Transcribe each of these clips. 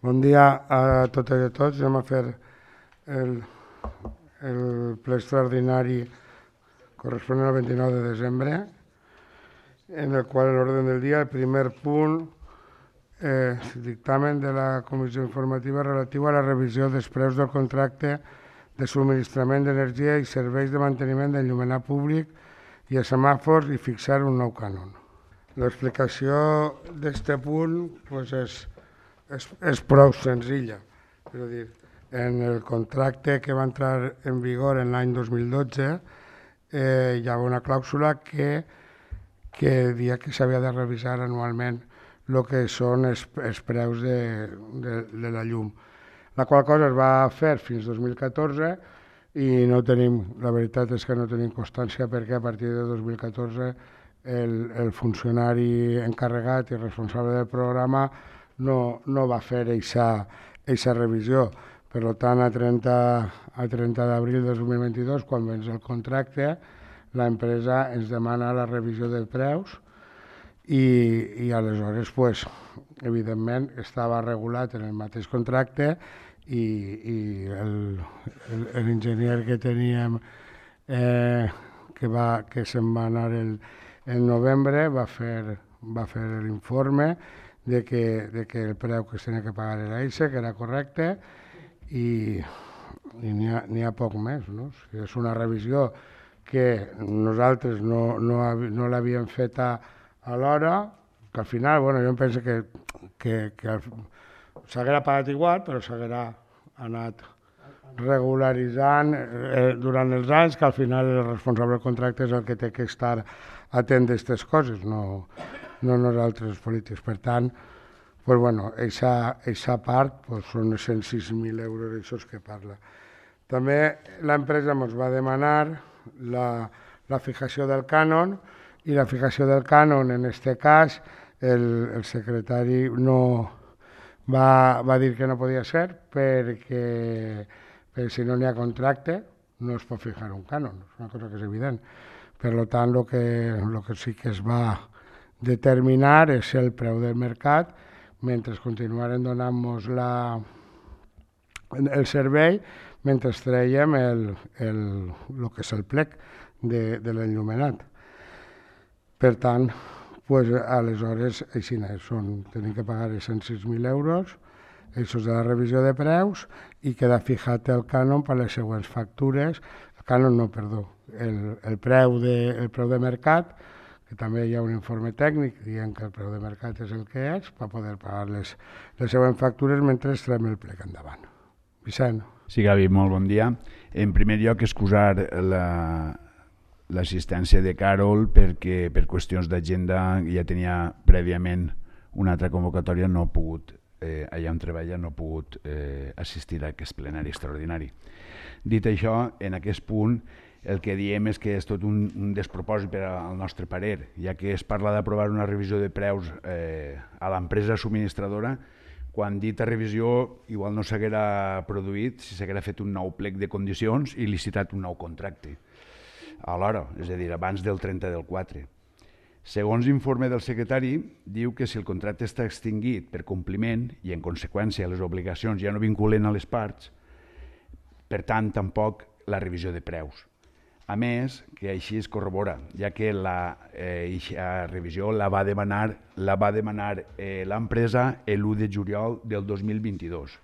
Bon dia a totes i a tots. Anem a fer el, el ple extraordinari corresponent al 29 de desembre, en el qual en l'ordre del dia el primer punt dictamen de la Comissió Informativa relatiu a la revisió dels preus del contracte de subministrament d'energia i serveis de manteniment d'enllumenat públic i a semàfors i fixar un nou cànon. L'explicació d'aquest punt és prou senzilla. És a dir, en el contracte que va entrar en vigor en l'any 2012 hi ha una clàusula que dia que s'havia de revisar anualment el que són els preus de la llum. La qual cosa es va fer fins 2014 i no tenim, la veritat és que no tenim constància perquè a partir de 2014 el funcionari encarregat i responsable del programa no va fer aquesta revisió. Per tant, a 30 d'abril de 2022, quan vens el contracte, l'empresa ens demana la revisió de preus i aleshores, evidentment, estava regulat en el mateix contracte i l'enginyer que teníem que se'n va anar en novembre va fer l'informe de que el preu que es tenia que pagar era aquest, que era correcte i n'hi ha poc més. No? És una revisió que nosaltres no l'havíem feta a l'hora, que al final, jo em penso que s'haguera pagat igual, però s'haguera anat regularitzant durant els anys, que al final el responsable del contracte és el que té que estar atent d'aquestes coses, no nosaltres els polítics. Per tant, aquesta part són 106.000 euros, això és que parla. També l'empresa ens va demanar la fijació del cànon, i la fijació del cànon, en aquest cas, el secretari va dir que no podia ser perquè si no n'hi ha contracte no es pot fijar un cànon, és una cosa que és evident. Per tant, el que sí que es va determinar és el preu del mercat mentre continuaren donant-nos el servei, mentre traiem el que és el plec de l'enllumenat. Per tant, aleshores, així tenim que pagar 106.000 euros, això és de la revisió de preus, i queda fijat el cànon per les següents factures, el cànon no, perdó, el preu de mercat, que també hi ha un informe tècnic dient que el preu de mercat és el que és, per poder pagar les següents factures mentre traiem el plec endavant. Vicent. Sí, Gavi, molt bon dia. En primer lloc, excusar l'assistència de Carol perquè per qüestions d'agenda ja tenia prèviament una altra convocatòria, no ha pogut, allà on treballa, no ha pogut assistir a aquest plenari extraordinari. Dit això, en aquest punt el que diem és que és tot un despropòsit per al nostre parer, ja que es parla d'aprovar una revisió de preus a l'empresa subministradora, quan dita revisió igual no s'haguera produït si s'haguera fet un nou plec de condicions i licitat un nou contracte alhora, és a dir, abans del 30 del 4. Segons l'informe del secretari, diu que si el contracte està extingit per compliment i en conseqüència les obligacions ja no vinculen a les parts, per tant tampoc la revisió de preus. A més, que així es corrobora, ja que la revisió la va demanar l'empresa l'1 de juliol del 2022.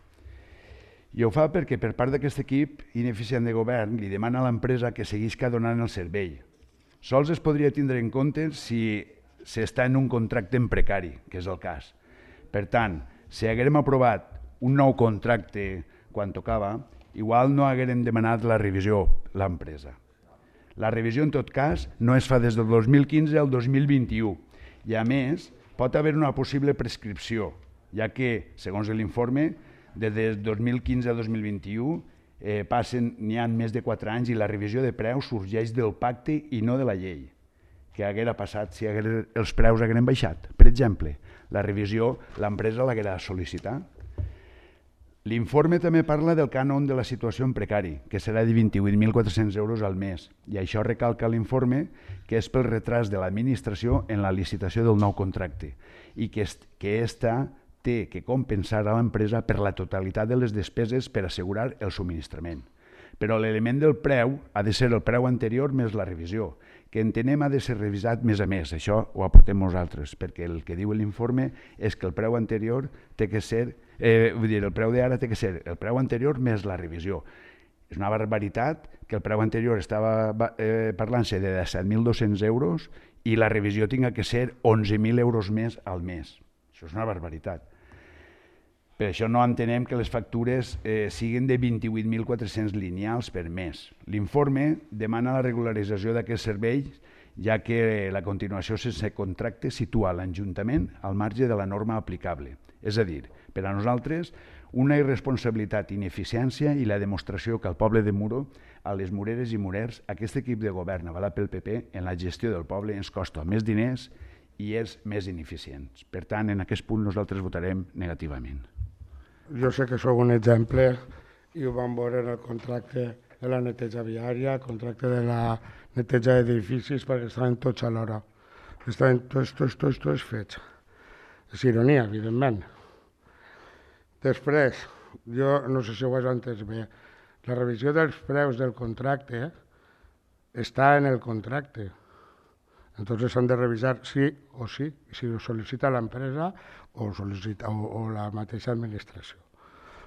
I ho fa perquè per part d'aquest equip ineficient de govern li demana a l'empresa que seguisca donant el servei. Sols es podria tindre en compte si s'està en un contracte en precari, que és el cas. Per tant, si haguérem aprovat un nou contracte quan tocava, igual no haguérem demanat la revisió l'empresa. La revisió, en tot cas, no es fa des del 2015 al 2021 i, a més, pot haver una possible prescripció, ja que, segons l'informe, des del 2015 a 2021 n'hi ha més de 4 anys i la revisió de preus sorgeix del pacte i no de la llei. Què haguera passat si els preus hagueren baixat? Per exemple, la revisió l'empresa l'haguera sol·licitat. L'informe també parla del cànon de la situació en precari, que serà de 28.400 euros al mes, i això recalca l'informe que és pel retras de l'administració en la licitació del nou contracte i que aquesta té que compensar a l'empresa per la totalitat de les despeses per assegurar el subministrament. Però l'element del preu ha de ser el preu anterior més la revisió, que entenem ha de ser revisat més a més. Això ho aportem nosaltres, perquè el que diu l'informe és que el preu anterior té que ser, el preu d'ara té que ser el preu anterior més la revisió. És una barbaritat que el preu anterior estava parlant-se de 17.200 euros i la revisió tinga que ser 11.000 euros més al mes. Això és una barbaritat. Per això no entenem que les factures siguin de 28.400 lineals per mes. L'informe demana la regularització d'aquest servei, ja que la continuació sense contracte situa l'Ajuntament al marge de la norma aplicable. És a dir, per a nosaltres, una irresponsabilitat, ineficiència i la demostració que al poble de Muro, a les mureres i murers, aquest equip de govern avalat pel PP en la gestió del poble ens costa més diners i és més ineficient. Per tant, en aquest punt nosaltres votarem negativament. Jo sé que sou un exemple i ho vam veure en el contracte de la neteja viària, el contracte de la neteja d'edificis, perquè estaven tots alhora. Estaven tots fets. És ironia, evidentment. Després, jo no sé si ho has entès bé, la revisió dels preus del contracte està en el contracte. Entonces s'han de revisar sí o sí, si ho sol·licita l'empresa o la mateixa administració.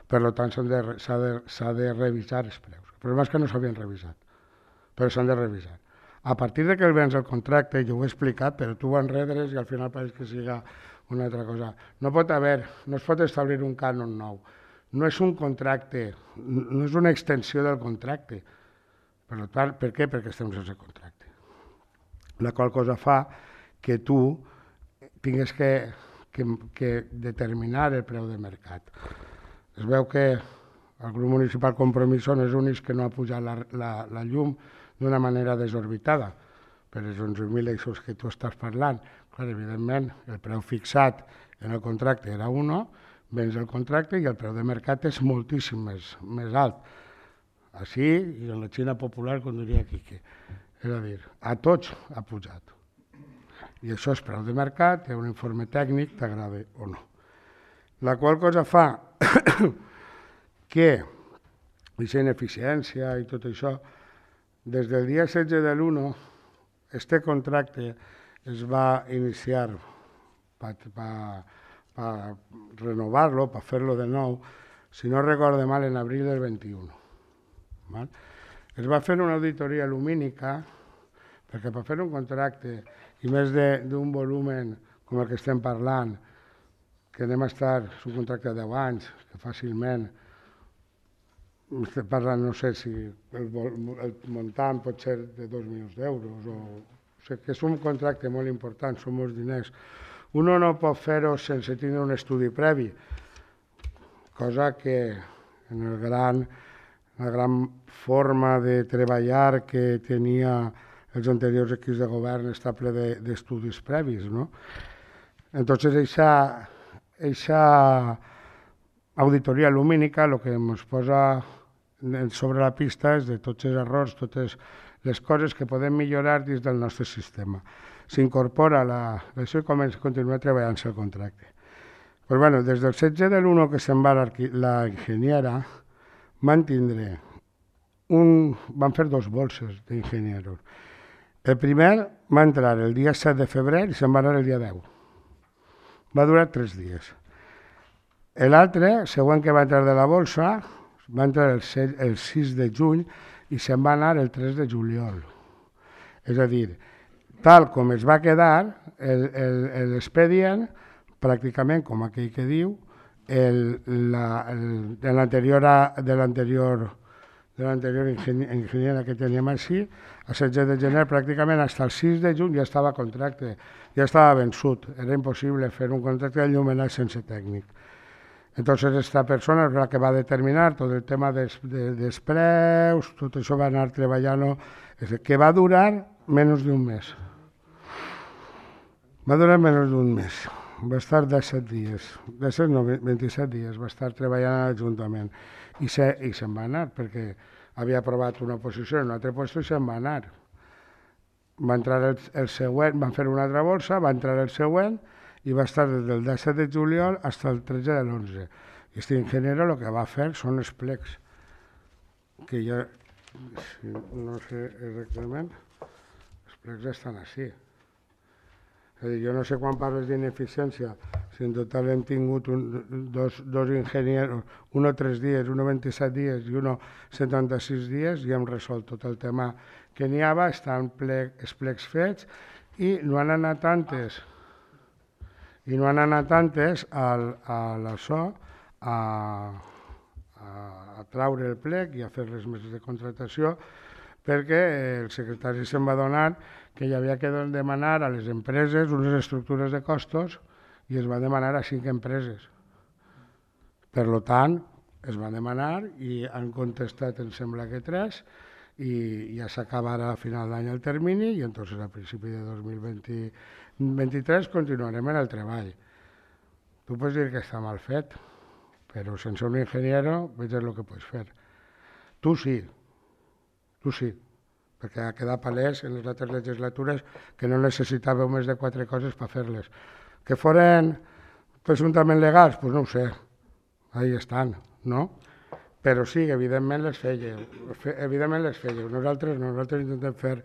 Per tant, s'ha de revisar els preus. El problema és que no s'havien revisat, però s'han de revisar. A partir de que el vens el contracte, jo ho he explicat, però tu ho enredres i al final pareix que siga una altra cosa. No es pot establir un cànon nou. No és un contracte, no és una extensió del contracte. Per què? Perquè estem sense contracte. La qual cosa fa que tu tinguis que determinar el preu de mercat. Es veu que el grup municipal Compromís són els únics que no ha pujat la llum d'una manera desorbitada, per els 11.000 eixos que tu estàs parlant. Clar, evidentment, el preu fixat en el contracte era 1, vens el contracte i el preu de mercat és moltíssim més alt. Així, i en la Xina popular, com diria Quique. És a dir, a tots ha pujat. I això és preu de mercat, hi ha un informe tècnic, t'agrada o no. La qual cosa fa que aquesta ineficiència i tot això, des del dia 16 de l'1, este contracte es va iniciar per renovar-lo, per fer-lo de nou, si no recordo mal, en abril del 21. Es va fer una auditoria lumínica, perquè per fer un contracte, i més d'un volumen com el que estem parlant, que anem a estar, és un contracte de 10 anys, que fàcilment, estem parlant, no sé si el muntant pot ser de 2 milions d'euros, o sigui que és un contracte molt important, són molts diners. Uno no pot fer-ho sense tindre un estudi previ, cosa que en la gran forma de treballar que tenia els anteriors equips de govern està ple d'estudis previs, no? Entonces, aquesta auditoria lumínica el que ens posa sobre la pista és de tots els errors, totes les coses que podem millorar dins del nostre sistema. S'incorpora això i continua treballant-se el contracte. Però bueno, des del 16 de l'1 que se'n va la enginyera, van fer 2 bolses d'enginyeros. El primer va entrar el dia 7 de febrer i se'n va anar el dia 10. Va durar 3 dies. L'altre, següent que va entrar de la bolsa, va entrar el 6 de juny i se'n va anar el 3 de juliol. És a dir, tal com es va quedar l'expedient, pràcticament com aquell que diu, de l'anterior enginyera que teníem així, a 16 de gener pràcticament fins al 6 de juny ja estava contracte, ja estava vençut. Era impossible fer un contracte d'enllumenat sense tècnic. Entonces esta persona és la que va determinar tot el tema dels preus, tot això va anar treballant, que va durar menys d'un mes. Va durar menys d'un mes. Va estar 17 dies, 27 dies va estar treballant a l'Ajuntament i se'n va anar perquè havia aprovat una posició en un altre lloc i se'n va anar. Va entrar el següent, van fer una altra bolsa, va entrar el següent i va estar des del 17 de juliol fins al 13 de l'11. I aquest ingeniero el que va fer són els plecs, que ja, no sé exactament, els plecs estan així. És a dir, jo no sé quan parles d'ineficiència, si en total hem tingut dos enginyers, uno 3 dies, uno 27 dies i uno 76 dies, i hem resolt tot el tema que n'hi havia, estan els plecs fets, i no han anat tantes a l'això, a traure el plec i a fer les meses de contratació, perquè el secretari se'n va adonar que hi havia que demanar a les empreses unes estructures de costos i es va demanar a 5 empreses. Per tant, es va demanar i han contestat, em sembla que 3, i ja s'acabarà a final d'any el termini i entonces a principi de 2023 continuarem en el treball. Tu pots dir que està mal fet, però sense un ingeniero veig el que pots fer. Tu sí, perquè ha quedat palès en les altres legislatures que no necessitàveu més de 4 coses per fer-les. Que foren presumptament legals? Doncs no ho sé, ahí estan, no? Però sí, evidentment les fèieu. Nosaltres intentem fer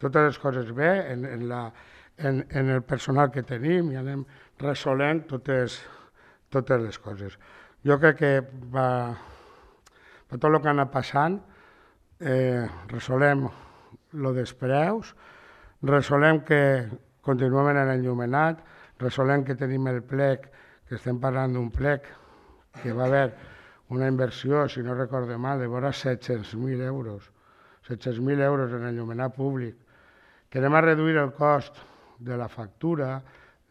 totes les coses bé en el personal que tenim i anem resolent totes les coses. Jo crec que per tot el que ha anat passant, resolem el dels preus, resolem que continuem en l'enllumenat, resolem que tenim el plec, que estem parlant d'un plec que va haver una inversió, si no recordo mal, de vora 700.000 euros. 700.000 euros en enllumenat públic. Que anem a reduir el cost de la factura,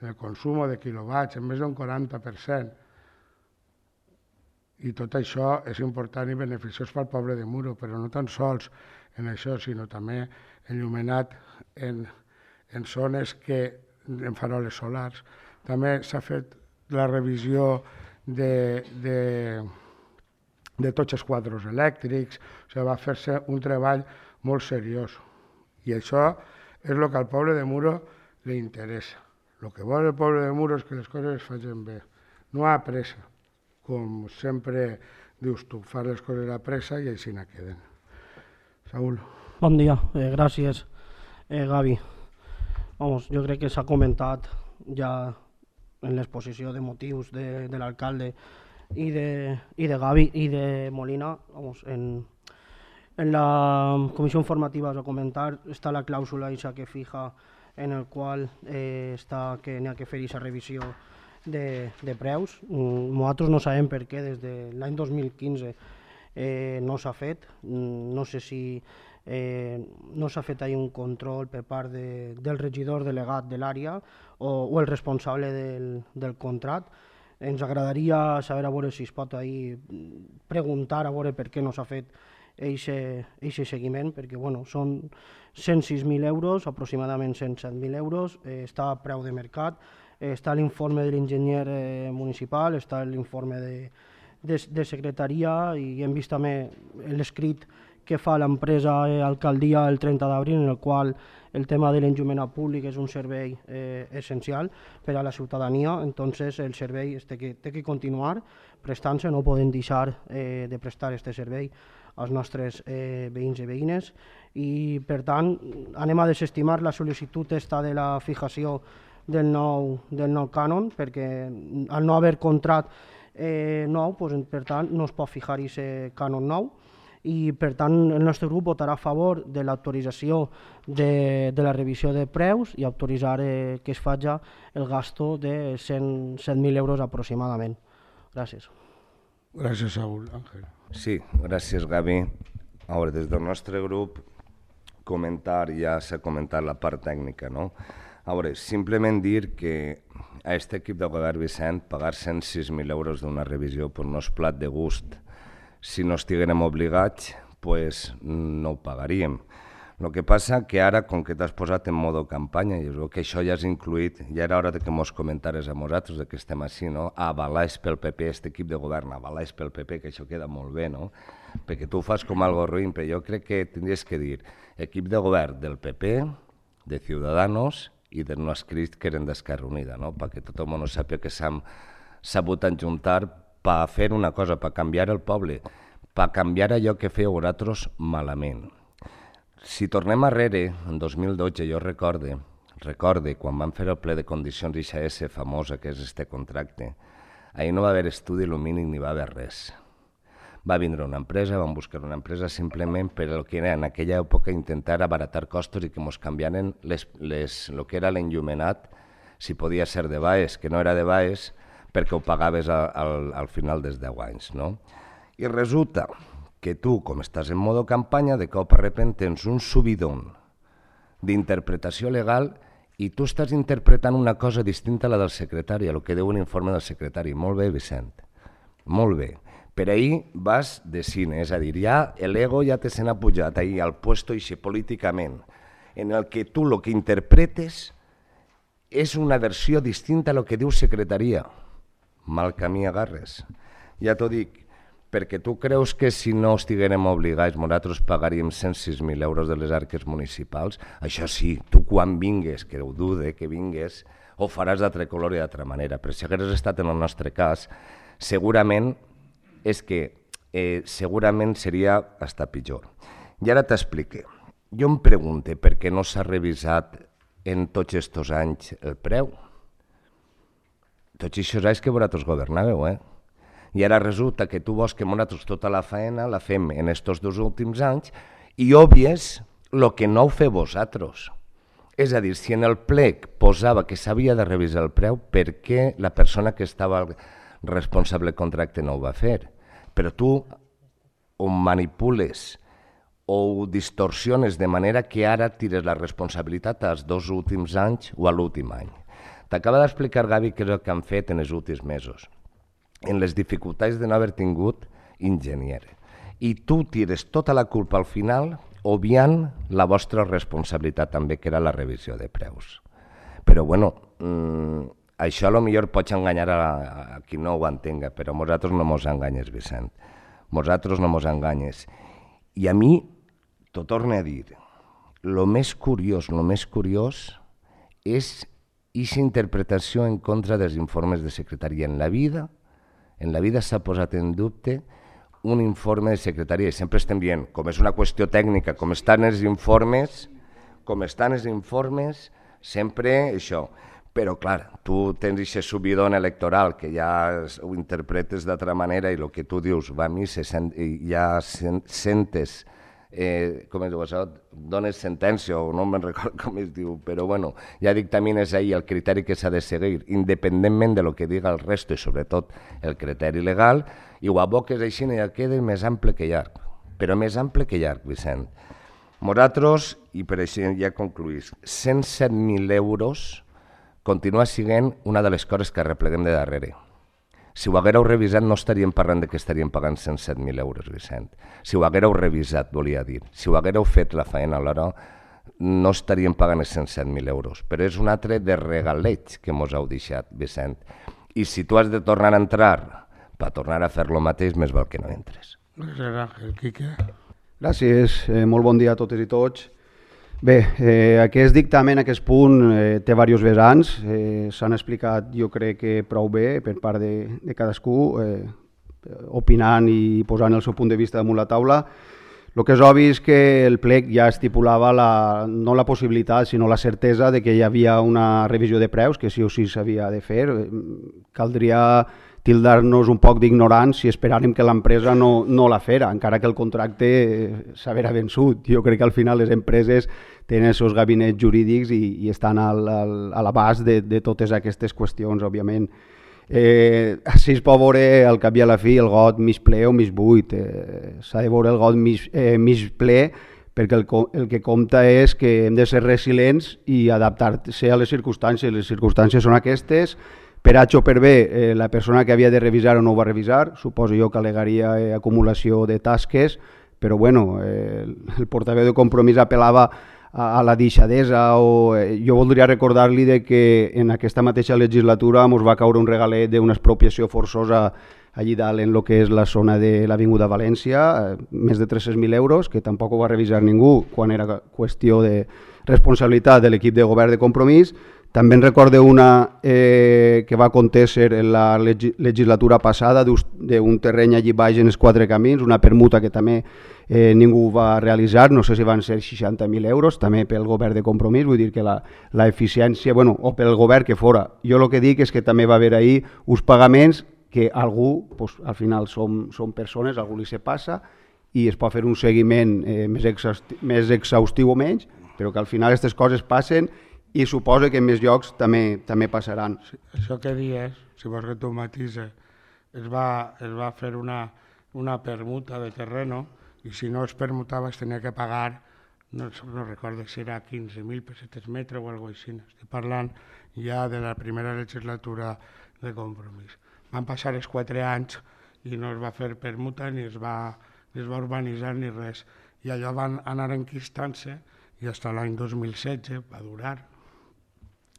del consum de quilowatts, en més d'un 40%. I tot això és important i beneficiós pel poble de Muro, però no tan sols en això, sinó també enllumenat en zones en faroles solars. També s'ha fet la revisió de tots els quadres elèctrics, va fer-se un treball molt seriós. I això és el que al poble de Muro li interessa. El que vol el poble de Muro és que les coses es facin bé. No a pressa, com sempre dius tu, fas les coses a pressa i així no queden. Saúl. Bon dia, gràcies, Gavi. Jo crec que s'ha comentat ja en l'exposició de motius de l'alcalde i de Gavi i de Molina. En la comissió informativa es va comentar, està la clàusula que fija en el qual està que n'hi ha que fer aquesta revisió de preus. Nosaltres no sabem per què des de l'any 2015 no s'ha fet. No sé si no s'ha fet un control per part del regidor delegat de l'àrea o el responsable del contracte. Ens agradaria saber a veure si es pot preguntar a veure per què no s'ha fet aquest seguiment, perquè són 106.000 euros, aproximadament 107.000 euros, està a preu de mercat, està l'informe de l'enginyer municipal, està l'informe de secretaria i hem vist també l'escrit que fa l'empresa alcaldia el 30 d'abril, en el qual el tema de l'enllumenat públic és un servei essencial per a la ciutadania, entonces el servei té que continuar prestant-se, no podem deixar de prestar aquest servei als nostres veïns i veïnes i per tant anem a desestimar la sol·licitud de la fijació del nou cànon perquè al no haver contracte nou, per tant no es pot fijar aquest cànon nou i per tant el nostre grup votarà a favor de l'autorització de la revisió de preus i autoritzar que es faci el gasto de 107.000 euros aproximadament. Gràcies. Gràcies, Saúl. Àngel. Sí, gràcies, Gavi. A veure, des del nostre grup ja s'ha comentat la part tècnica, no? A veure, simplement dir que a aquest equip de govern Vicent pagar 106.000 euros d'una revisió per no és plat de gust. Si no estiguérem obligats, doncs no ho pagaríem. El que passa que ara, com que t'has posat en modo campanya, i que això ja és incluït, ja era hora que mos comentares a nosaltres que estem així, no? Avalats pel PP, aquest equip de govern, avalats pel PP, que això queda molt bé, no? Perquè tu ho fas com algo ruïn, però jo crec que tindries que dir equip de govern del PP, de Ciudadanos i de no escrits que eren d'Esquerra Unida, no? Perquè tot el món sàpiga que s'han sabut enjuntar per fer una cosa, per canviar el poble, per canviar allò que fèieu vosaltres malament. Si tornem arrere, en 2012, jo recorde quan van fer el ple de condicions IXS famosa, que és este contracte, ahir no va haver estudi lumínic ni va haver res. Va vindre una empresa, van buscar una empresa simplement per el que era en aquella època intentar abaratar costos i que ens canviaren el que era l'enllumenat, si podia ser de Baes, que no era de Baes, perquè ho pagaves al final dels 10 anys. No? I resulta que tu, com estàs en modo campanya, de cop a repent tens un subidón d'interpretació legal i tu estàs interpretant una cosa distinta a la del secretari, a el que diu un informe del secretari. Molt bé, Vicent, molt bé. Per ahir vas de cine, és a dir, ja l'ego ja te se n'ha pujat ahir al puesto i políticament, en el que tu el que interpretes és una versió distinta a lo que diu secretaria. Mal camí agarres. Ja t'ho dic, perquè tu creus que si no estiguérem obligats nosaltres pagaríem 106.000 euros de les arques municipals? Això sí, tu quan vingues, que ho dude que vingues, ho faràs d'altre color i d'altra manera, però si hagués estat en el nostre cas, segurament és que segurament seria hasta pitjor. I ara t'explique. Jo em pregunto per què no s'ha revisat en tots aquests anys el preu. Tots aquests anys que vosaltres governàveu, I ara resulta que tu vols que nosaltres tota la faena la fem en aquests 2 últims anys i òbvies el que no ho feu vosaltres. És a dir, si en el plec posava que s'havia de revisar el preu, per què la persona que estava responsable del contracte no ho va fer? Però tu ho manipules o ho distorsiones de manera que ara tires la responsabilitat als 2 últims anys o a l'últim any. T'acaba d'explicar, Gavi, què és el que han fet en els últims mesos, en les dificultats de no haver tingut enginyer. I tu tires tota la culpa al final, obviant la vostra responsabilitat també, que era la revisió de preus. Però, bueno, això potser pots enganyar a qui no ho entenga, però nosaltres no mos enganyes, Vicent. Nosaltres no mos enganyes. I a mi, t'ho torno a dir, el més curiós és aquesta interpretació en contra dels informes de secretaria. En la vida s'ha posat en dubte un informe de secretaria i sempre estem dient, com és una qüestió tècnica, com estan els informes, sempre això. Però, clar, tu tens aquest subidón electoral que ja ho interpretes d'altra manera i el que tu dius va a missa i ja sentes, com es diu això, dones sentència o no me'n recordo com es diu, però bueno, ja dictamines ahir el criteri que s'ha de seguir, independentment de lo que diga el resto i sobretot el criteri legal, i ho aboques així i ja queda més ample que llarg, però més ample que llarg, Vicent. Nosaltres, i per això ja concluís, 107.000 euros continua sent una de les coses que arrepleguem de darrere. Si ho haguéreu revisat no estaríem parlant que estaríem pagant 107.000 euros, Vicent. Si ho haguéreu revisat, volia dir. Si ho haguéreu fet la feina alhora, no estaríem pagant els 107.000 euros. Però és un altre de regaleig que mos heu deixat, Vicent. I si tu has de tornar a entrar per tornar a fer lo mateix, més val que no entres. Gràcies, Àngel. Quique. Gràcies, molt bon dia a totes i tots. Bé, aquest dictamen, aquest punt, té diversos vessants, s'han explicat jo crec que prou bé per part de cadascú, opinant i posant el seu punt de vista damunt la taula. El que és obvi és que el plec ja estipulava no la possibilitat, sinó la certesa de que hi havia una revisió de preus, que sí o sí s'havia de fer. Caldria tildar-nos un poc d'ignorants si esperàrem que l'empresa no la fera, encara que el contracte s'haguera vençut. Jo crec que al final les empreses tenen els seus gabinets jurídics i estan a l'abast de totes aquestes qüestions, òbviament. Així es pot veure al cap i a la fi el got mig ple o mig buit. S'ha de veure el got mig ple perquè el que compta és que hem de ser resilients i adaptar-se a les circumstàncies. Les circumstàncies són aquestes. Per H o per B, la persona que havia de revisar o no ho va revisar, suposo jo que al·legaria acumulació de tasques, però bueno, el portaveu de Compromís apel·lava a la deixadesa. Jo voldria recordar-li que en aquesta mateixa legislatura ens va caure un regalet d'una expropiació forçosa allí dalt en el que és la zona de l'Avinguda València, més de 300.000 euros, que tampoc ho va revisar ningú quan era qüestió de responsabilitat de l'equip de govern de Compromís. També en recordo una que va acontecer en la legislatura passada d'un terreny allí baix en els Quatre Camins, una permuta que també ningú va realitzar, no sé si van ser 60.000 euros, també pel govern de Compromís, vull dir que l'eficiència, o pel govern que fora. Jo el que dic és que també va haver ahir uns pagaments que algú, al final són persones, algú li se passa i es pot fer un seguiment més exhaustiu o menys, però que al final aquestes coses passen i suposa que en més llocs també passaran. Sí, això que dius, si vols que tu matises, es va fer una permuta de terreno i si no es permutava es tenia que pagar, no recordo si era 15.000 pessetes metre o alguna cosa així. Estic parlant ja de la primera legislatura de Compromís. Van passar els 4 anys i no es va fer permuta ni es va urbanitzar ni res. I allò van anar enquistant-se i fins l'any 2016 va durar.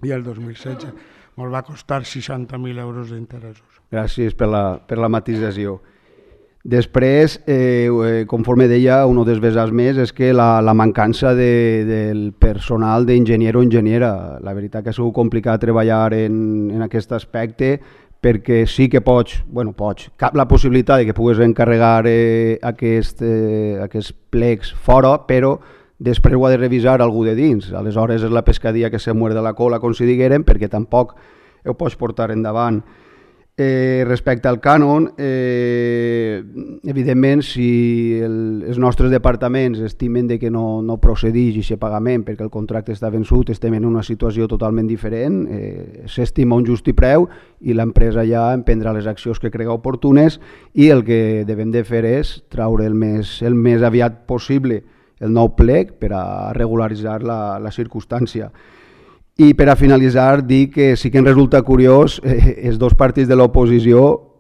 I el 2016 ens va costar 60.000 euros d'interessos. Gràcies per la matisació. Després, conforme deia, un dels vessants més és que la mancança del personal d'enginyer o enginyera. La veritat que ha sigut complicat treballar en aquest aspecte perquè sí que pots, cap la possibilitat de que puguis encarregar aquests plecs fora, però després ho ha de revisar algú de dins. Aleshores és la pescadia que se muerde la cola, com si diguérem, perquè tampoc ho pots portar endavant. Respecte al cànon, evidentment, si els nostres departaments estimen que no procedeix aquest pagament perquè el contracte està vençut, estem en una situació totalment diferent, s'estima un justi preu i l'empresa ja emprendrà les accions que crega oportunes i el que devem de fer és traure el més aviat possible el nou plec per a regularitzar la circumstància. I per a finalitzar, dir que sí que em resulta curiós els dos partits de l'oposició,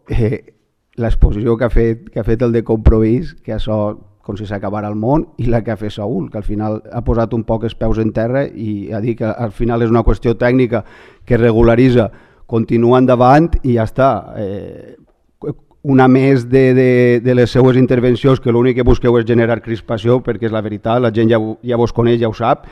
l'exposició que ha fet el de Compromís, que això com si s'acabara el món, i la que ha fet Saúl, que al final ha posat un poc els peus en terra i ha dit que al final és una qüestió tècnica que regularitza, continua endavant i ja està. Una més de les seues intervencions que l'únic que busqueu és generar crispació, perquè és la veritat, la gent ja vos coneix, ja ho sap.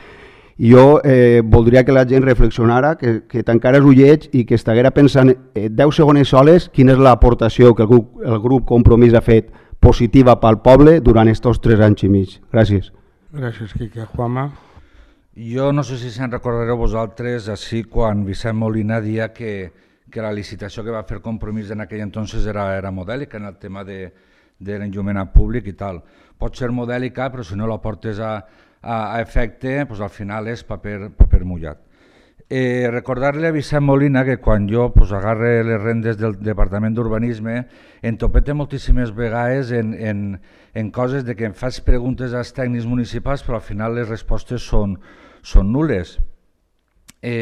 Jo voldria que la gent reflexionara, que tancara els ullets i que estiguera pensant 10 segons soles quina és l'aportació que el grup Compromís ha fet positiva pel poble durant aquests 3 anys i mig. Gràcies. Gràcies, Quique. Juanma? Jo no sé si se'n recordareu vosaltres, així quan Vicent Molina dia que la licitació que va fer Compromís en aquell entonces era modèlica en el tema de l'enllumenat públic i tal. Pot ser modèlica, però si no la portes a efecte, al final és paper mullat. Recordar-li a Vicent Molina que quan jo agarre les rendes del Departament d'Urbanisme em topete moltíssimes vegades en coses de que em faig preguntes als tècnics municipals però al final les respostes són nul·les.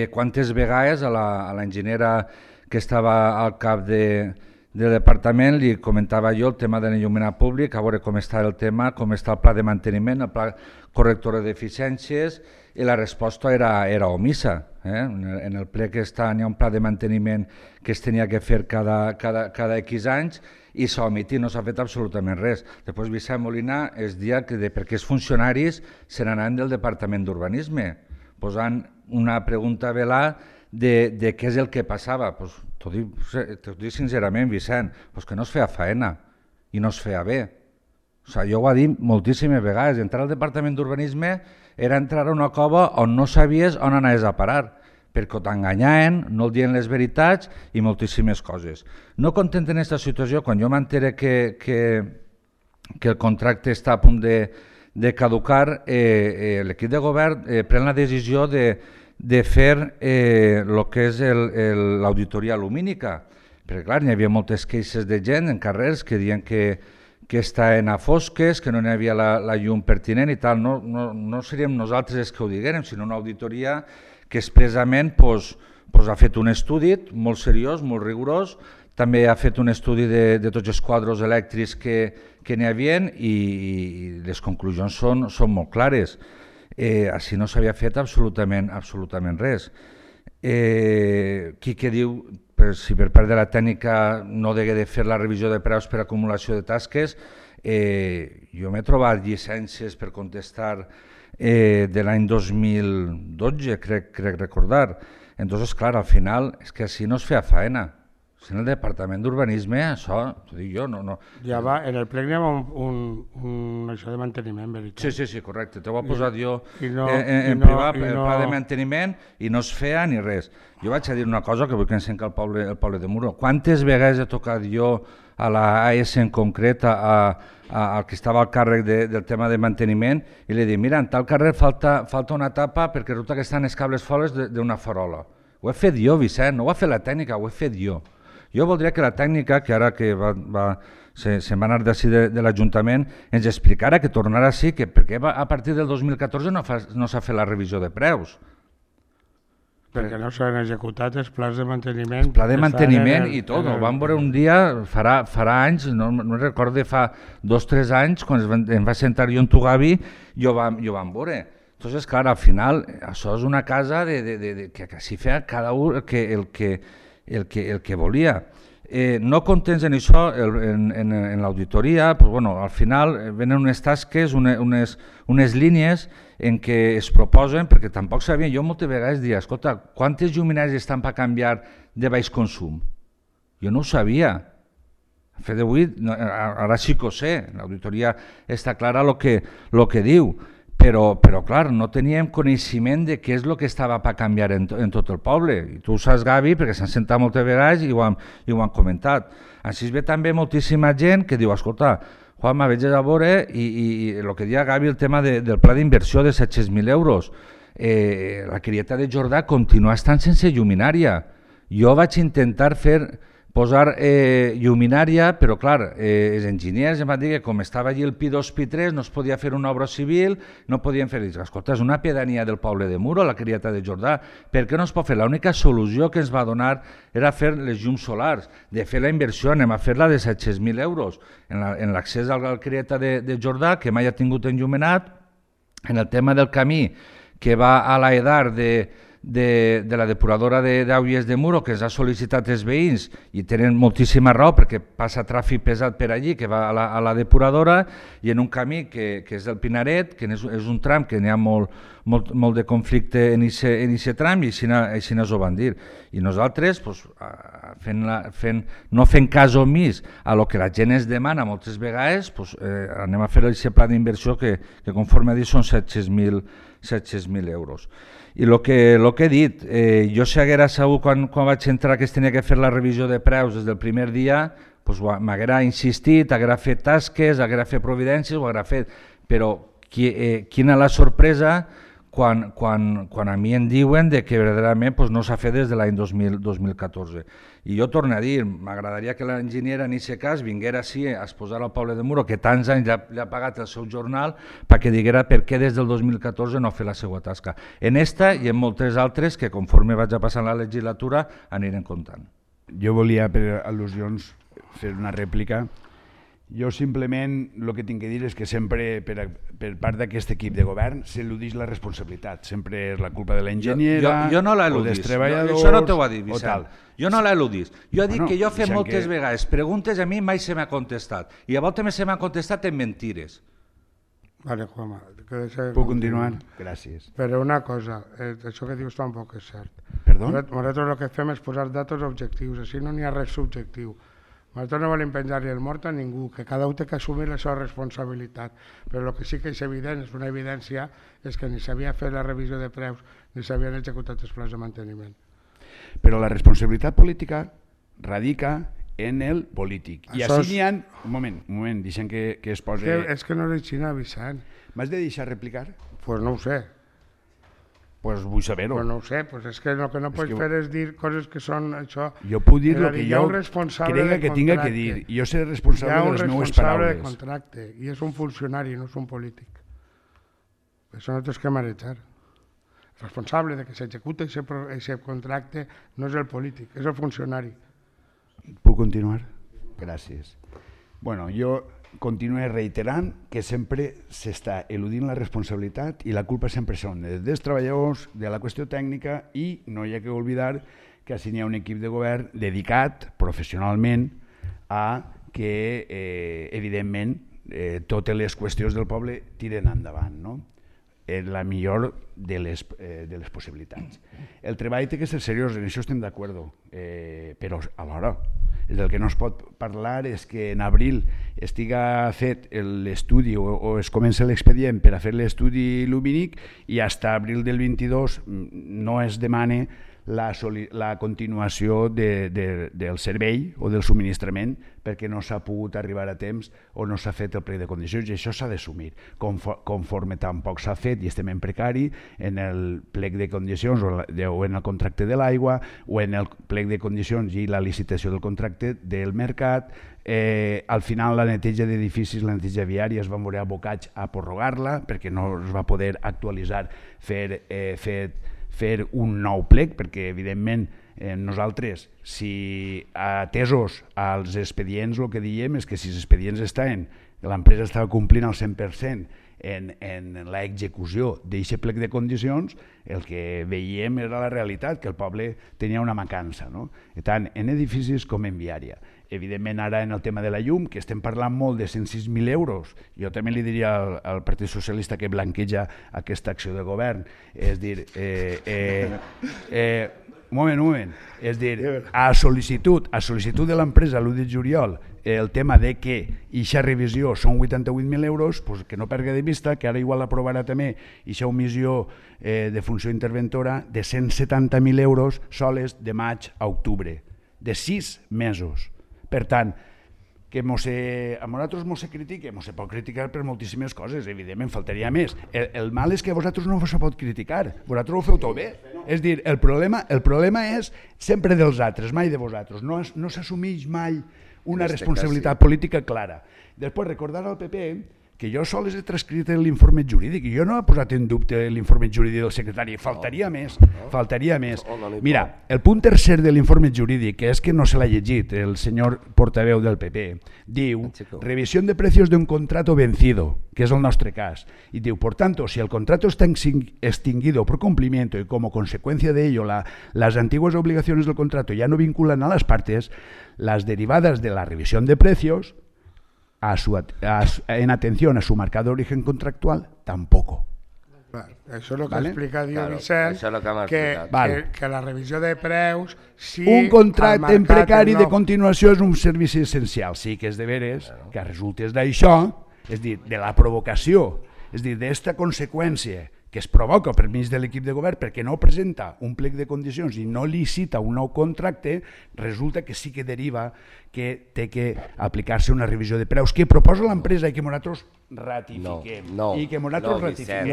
Quantes vegades a l'enginyera que estava al cap del departament li comentava jo el tema de l'enllumenat públic, a veure com està el tema, com està el pla de manteniment, el pla corrector d'eficiències, i la resposta era omissa. En el ple que està hi ha un pla de manteniment que es tenia que fer cada X anys i s'ha omitit, no s'ha fet absolutament res. Després Vicent Molina es dia que perquè els funcionaris se n'anaven del Departament d'Urbanisme, posant una pregunta velada de què és el que passava. T'ho dic sincerament, Vicent, que no es feia faena i no es feia bé. Jo ho he dit moltíssimes vegades, entrar al Departament d'Urbanisme era entrar a una cova on no sabies on anaves a parar, perquè t'enganyaven, no dient les veritats i moltíssimes coses. No content en aquesta situació, quan jo m'entere que el contracte està a punt de caducar, l'equip de govern pren la decisió de fer el que és l'auditoria lumínica, perquè clar, hi havia moltes queixes de gent en carrers que diuen que estaven a fosques, que no hi havia la llum pertinent i tal. No seríem nosaltres els que ho diguérem, sinó una auditoria que expressament ha fet un estudi molt seriós, molt rigorós, també ha fet un estudi de tots els quadres elèctrics que n'hi havia i les conclusions són molt clares. Així no s'havia fet absolutament res. Qui que diu si per part de la tècnica no degué de fer la revisió de preus per acumulació de tasques, jo m'he trobat llicències per contestar de l'any 2012, crec recordar. Entonces, clar, al final és que així no es feia faena. Si en el Departament d'Urbanisme, això, t'ho dic jo, no... Ja va, en el plec n'hi ha això de manteniment, veritat. Sí, correcte, t'ho he posat jo en privat, el pla de manteniment, i no es feia ni res. Jo vaig a dir una cosa que vull que ensenyi el poble de Muro. Quantes vegades he tocat jo a la AS en concret, al que estava al càrrec del tema de manteniment, i li he dit, mira, en tal carrer falta una tapa perquè resulta que estan els cables fores d'una farola. Ho he fet jo, Vicent, no ho ha fet la tècnica, ho he fet jo. Jo voldria que la tècnica, que ara que se'n va anar d'ací de l'Ajuntament, ens explicara que tornarà així, que perquè a partir del 2014 no s'ha fet la revisió de preus. Perquè no s'han executat els plans de manteniment. El pla de manteniment i tot. Ho vam veure un dia, farà anys, no recordo, fa 2 o 3 anys, quan em va sentar jo en tu, Gavi, i ho vam veure. Entonces, clar, al final, això és una casa que s'hi feia cada un el que volia. No contents en això, en l'auditoria, al final venen unes tasques, unes línies en què es proposen, perquè tampoc sabien, jo moltes vegades dia, escolta, quantes lluminàries estan per canviar de baix consum? Jo no ho sabia. A fet d'avui, ara sí que ho sé, l'auditoria està clara el que diu, però clar, no teníem coneixement de què és el que estava per canviar en tot el poble. I tu ho saps, Gavi, perquè s'han sentat moltes vegades i ho han comentat. Així es ve també moltíssima gent que diu, escolta, Juanma, veig a veure, i el que deia Gavi, el tema del pla d'inversió de 700.000 euros. La Crieta de Jordà continua estant sense lluminària. Jo vaig intentar posar lluminària, però clar, els enginyers em van dir que com estava allí el Pi2, Pi3, no es podia fer una obra civil, no podien fer... Escolta, és una pedania del poble de Muro, la Crieta de Jordà, per què no es pot fer? L'única solució que ens va donar era fer les llums solars, de fer la inversió, anem a fer-la de 700.000 euros, en l'accés a la Crieta de Jordà, que mai ha tingut enllumenat, en el tema del camí, que va a l'Aedar de la depuradora d'Auies de Muro, que ens ha sol·licitat els veïns, i tenen moltíssima raó perquè passa tràfic pesat per allí, que va a la depuradora, i en un camí que és el Pinaret, que és un tram que n'hi ha molt de conflicte en aquest tram, i així ho van dir. I nosaltres, no fent cas omís a lo que la gent ens demana moltes vegades, anem a fer aquest pla d'inversió que conforme ha dit són 700.000 euros. I el que he dit, jo si haguera sabut quan vaig entrar que es tenia que fer la revisió de preus des del primer dia, m'haguera insistit, haguera fet tasques, haguera fet providències, ho haguera fet, però quina la sorpresa quan a mi em diuen que verdaderament no s'ha fet des de l'any 2014. I jo torno a dir, m'agradaria que l'enginyera en aquest cas vinguera així a exposar al poble de Muro, que tants anys li ha pagat el seu jornal, perquè diguera per què des del 2014 no ha fet la seva tasca. En esta i en moltes altres que conforme vaig a passar la legislatura anirem comptant. Jo volia, per al·lusions, fer una rèplica. Jo simplement el que tinc que dir és que sempre per part d'aquest equip de govern s'eludeix la responsabilitat. Sempre és la culpa de l'enginyera o dels treballadors. Això no t'ho va dir, Vicent. Jo no l'eludís. Jo he dit que jo he fet moltes vegades preguntes, a mi mai se m'ha contestat. I a voltes se m'ha contestat en mentires. Vale, Juanma. Puc continuar? Gràcies. Però una cosa, això que dius tampoc és cert. Perdó? Nosaltres el que fem és posar datos objectius, així no n'hi ha res subjectiu. Nosaltres no volem penjar-li el mort a ningú, que cada un té que assumir la seva responsabilitat, però el que sí que és evident, és una evidència, és que ni s'havia fet la revisió de preus ni s'havien executat els plans de manteniment. Però la responsabilitat política radica en el polític. I així n'hi ha... Un moment, deixem que es posi... És que no és així, Vicent. M'has de deixar replicar? Doncs no ho sé. Pues vull saber-ho. Pues no ho sé, pues és que el que no pots fer és dir coses que són això... Jo puc dir el que jo crega que tinga que dir. Jo seré responsable de les meves paraules. Hi ha un responsable de contracte i és un funcionari, no és un polític. Això no tens que marejar. El responsable de que s'executa aquest contracte no és el polític, és el funcionari. Puc continuar? Gràcies. Bueno, jo continua reiterant que sempre s'està eludint la responsabilitat i la culpa sempre són dels treballadors, de la qüestió tècnica, i no hi ha que oblidar que així n'hi ha un equip de govern dedicat professionalment a que, evidentment, totes les qüestions del poble tiren endavant, no? És la millor de les possibilitats. El treball té que ser seriós, en això estem d'acord, però alhora del que no es pot parlar és que en abril estiga fet l'estudi o es comença l'expedient per a fer l'estudi lumínic i fins a abril del 22 no es demana la continuació del servei o del subministrament perquè no s'ha pogut arribar a temps o no s'ha fet el plec de condicions, i això s'ha d'assumir. Conforme tampoc s'ha fet i estem en precari en el plec de condicions o en el contracte de l'aigua o en el plec de condicions i la licitació del contracte del mercat, al final la neteja d'edificis, la neteja viària es van veure abocats a prorrogar-la perquè no es va poder actualitzar, fer un nou plec, perquè evidentment nosaltres, si atesos als expedients, el que diem és que si els expedients estaven, l'empresa estava complint al 100% en l'execució d'aquest plec de condicions, el que veiem era la realitat, que el poble tenia una mancança, tant en edificis com en viària. Evidentment ara en el tema de la llum, que estem parlant molt de 106.000 euros, jo també li diria al Partit Socialista que blanqueja aquesta acció de govern, és dir, un moment, és dir, a sol·licitud de l'empresa l'1 de juliol, el tema de que aquesta revisió són 88.000 euros, que no perdi de vista que ara igual aprovarà també aquesta omissió de funció interventora de 170.000 euros soles de maig a octubre, de 6 mesos. Per tant, que a nosaltres ens se critica, ens se pot criticar per moltíssimes coses, evidentment, faltaria més. El mal és que a vosaltres no se pot criticar, vosaltres ho feu tot bé. És dir, el problema és sempre dels altres, mai de vosaltres, no s'assumeix mai una responsabilitat política clara. Després, recordar al PP que jo sols he transcrit l'informe jurídic i jo no he posat en dubte l'informe jurídic del secretari, faltaria més. Mira, el punt tercer de l'informe jurídic, que és que no se l'ha llegit el senyor portaveu del PP, diu revisión de precios de un contrato vencido, que és el nostre cas, y diu, por tanto, si el contrato está extinguido por cumplimiento y como consecuencia de ello las antiguas obligaciones del contrato ya no vinculan a las partes, las derivadas de la revisión de precios en atención a su marcado origen contractual, tampoco. Això és el que ha explicat Vicent, que la revisió de preus... Un contracte en precari de continuació és un servici essencial. Sí que és de veres que resultes d'això, és dir, de la provocació, és dir, d'esta conseqüència que es provoca per mig de l'equip de govern perquè no presenta un plec de condicions i no licita un nou contracte, resulta que sí que deriva que té que aplicar-se una revisió de preus que proposa l'empresa i que nosaltres ratifiquem. No, Vicent,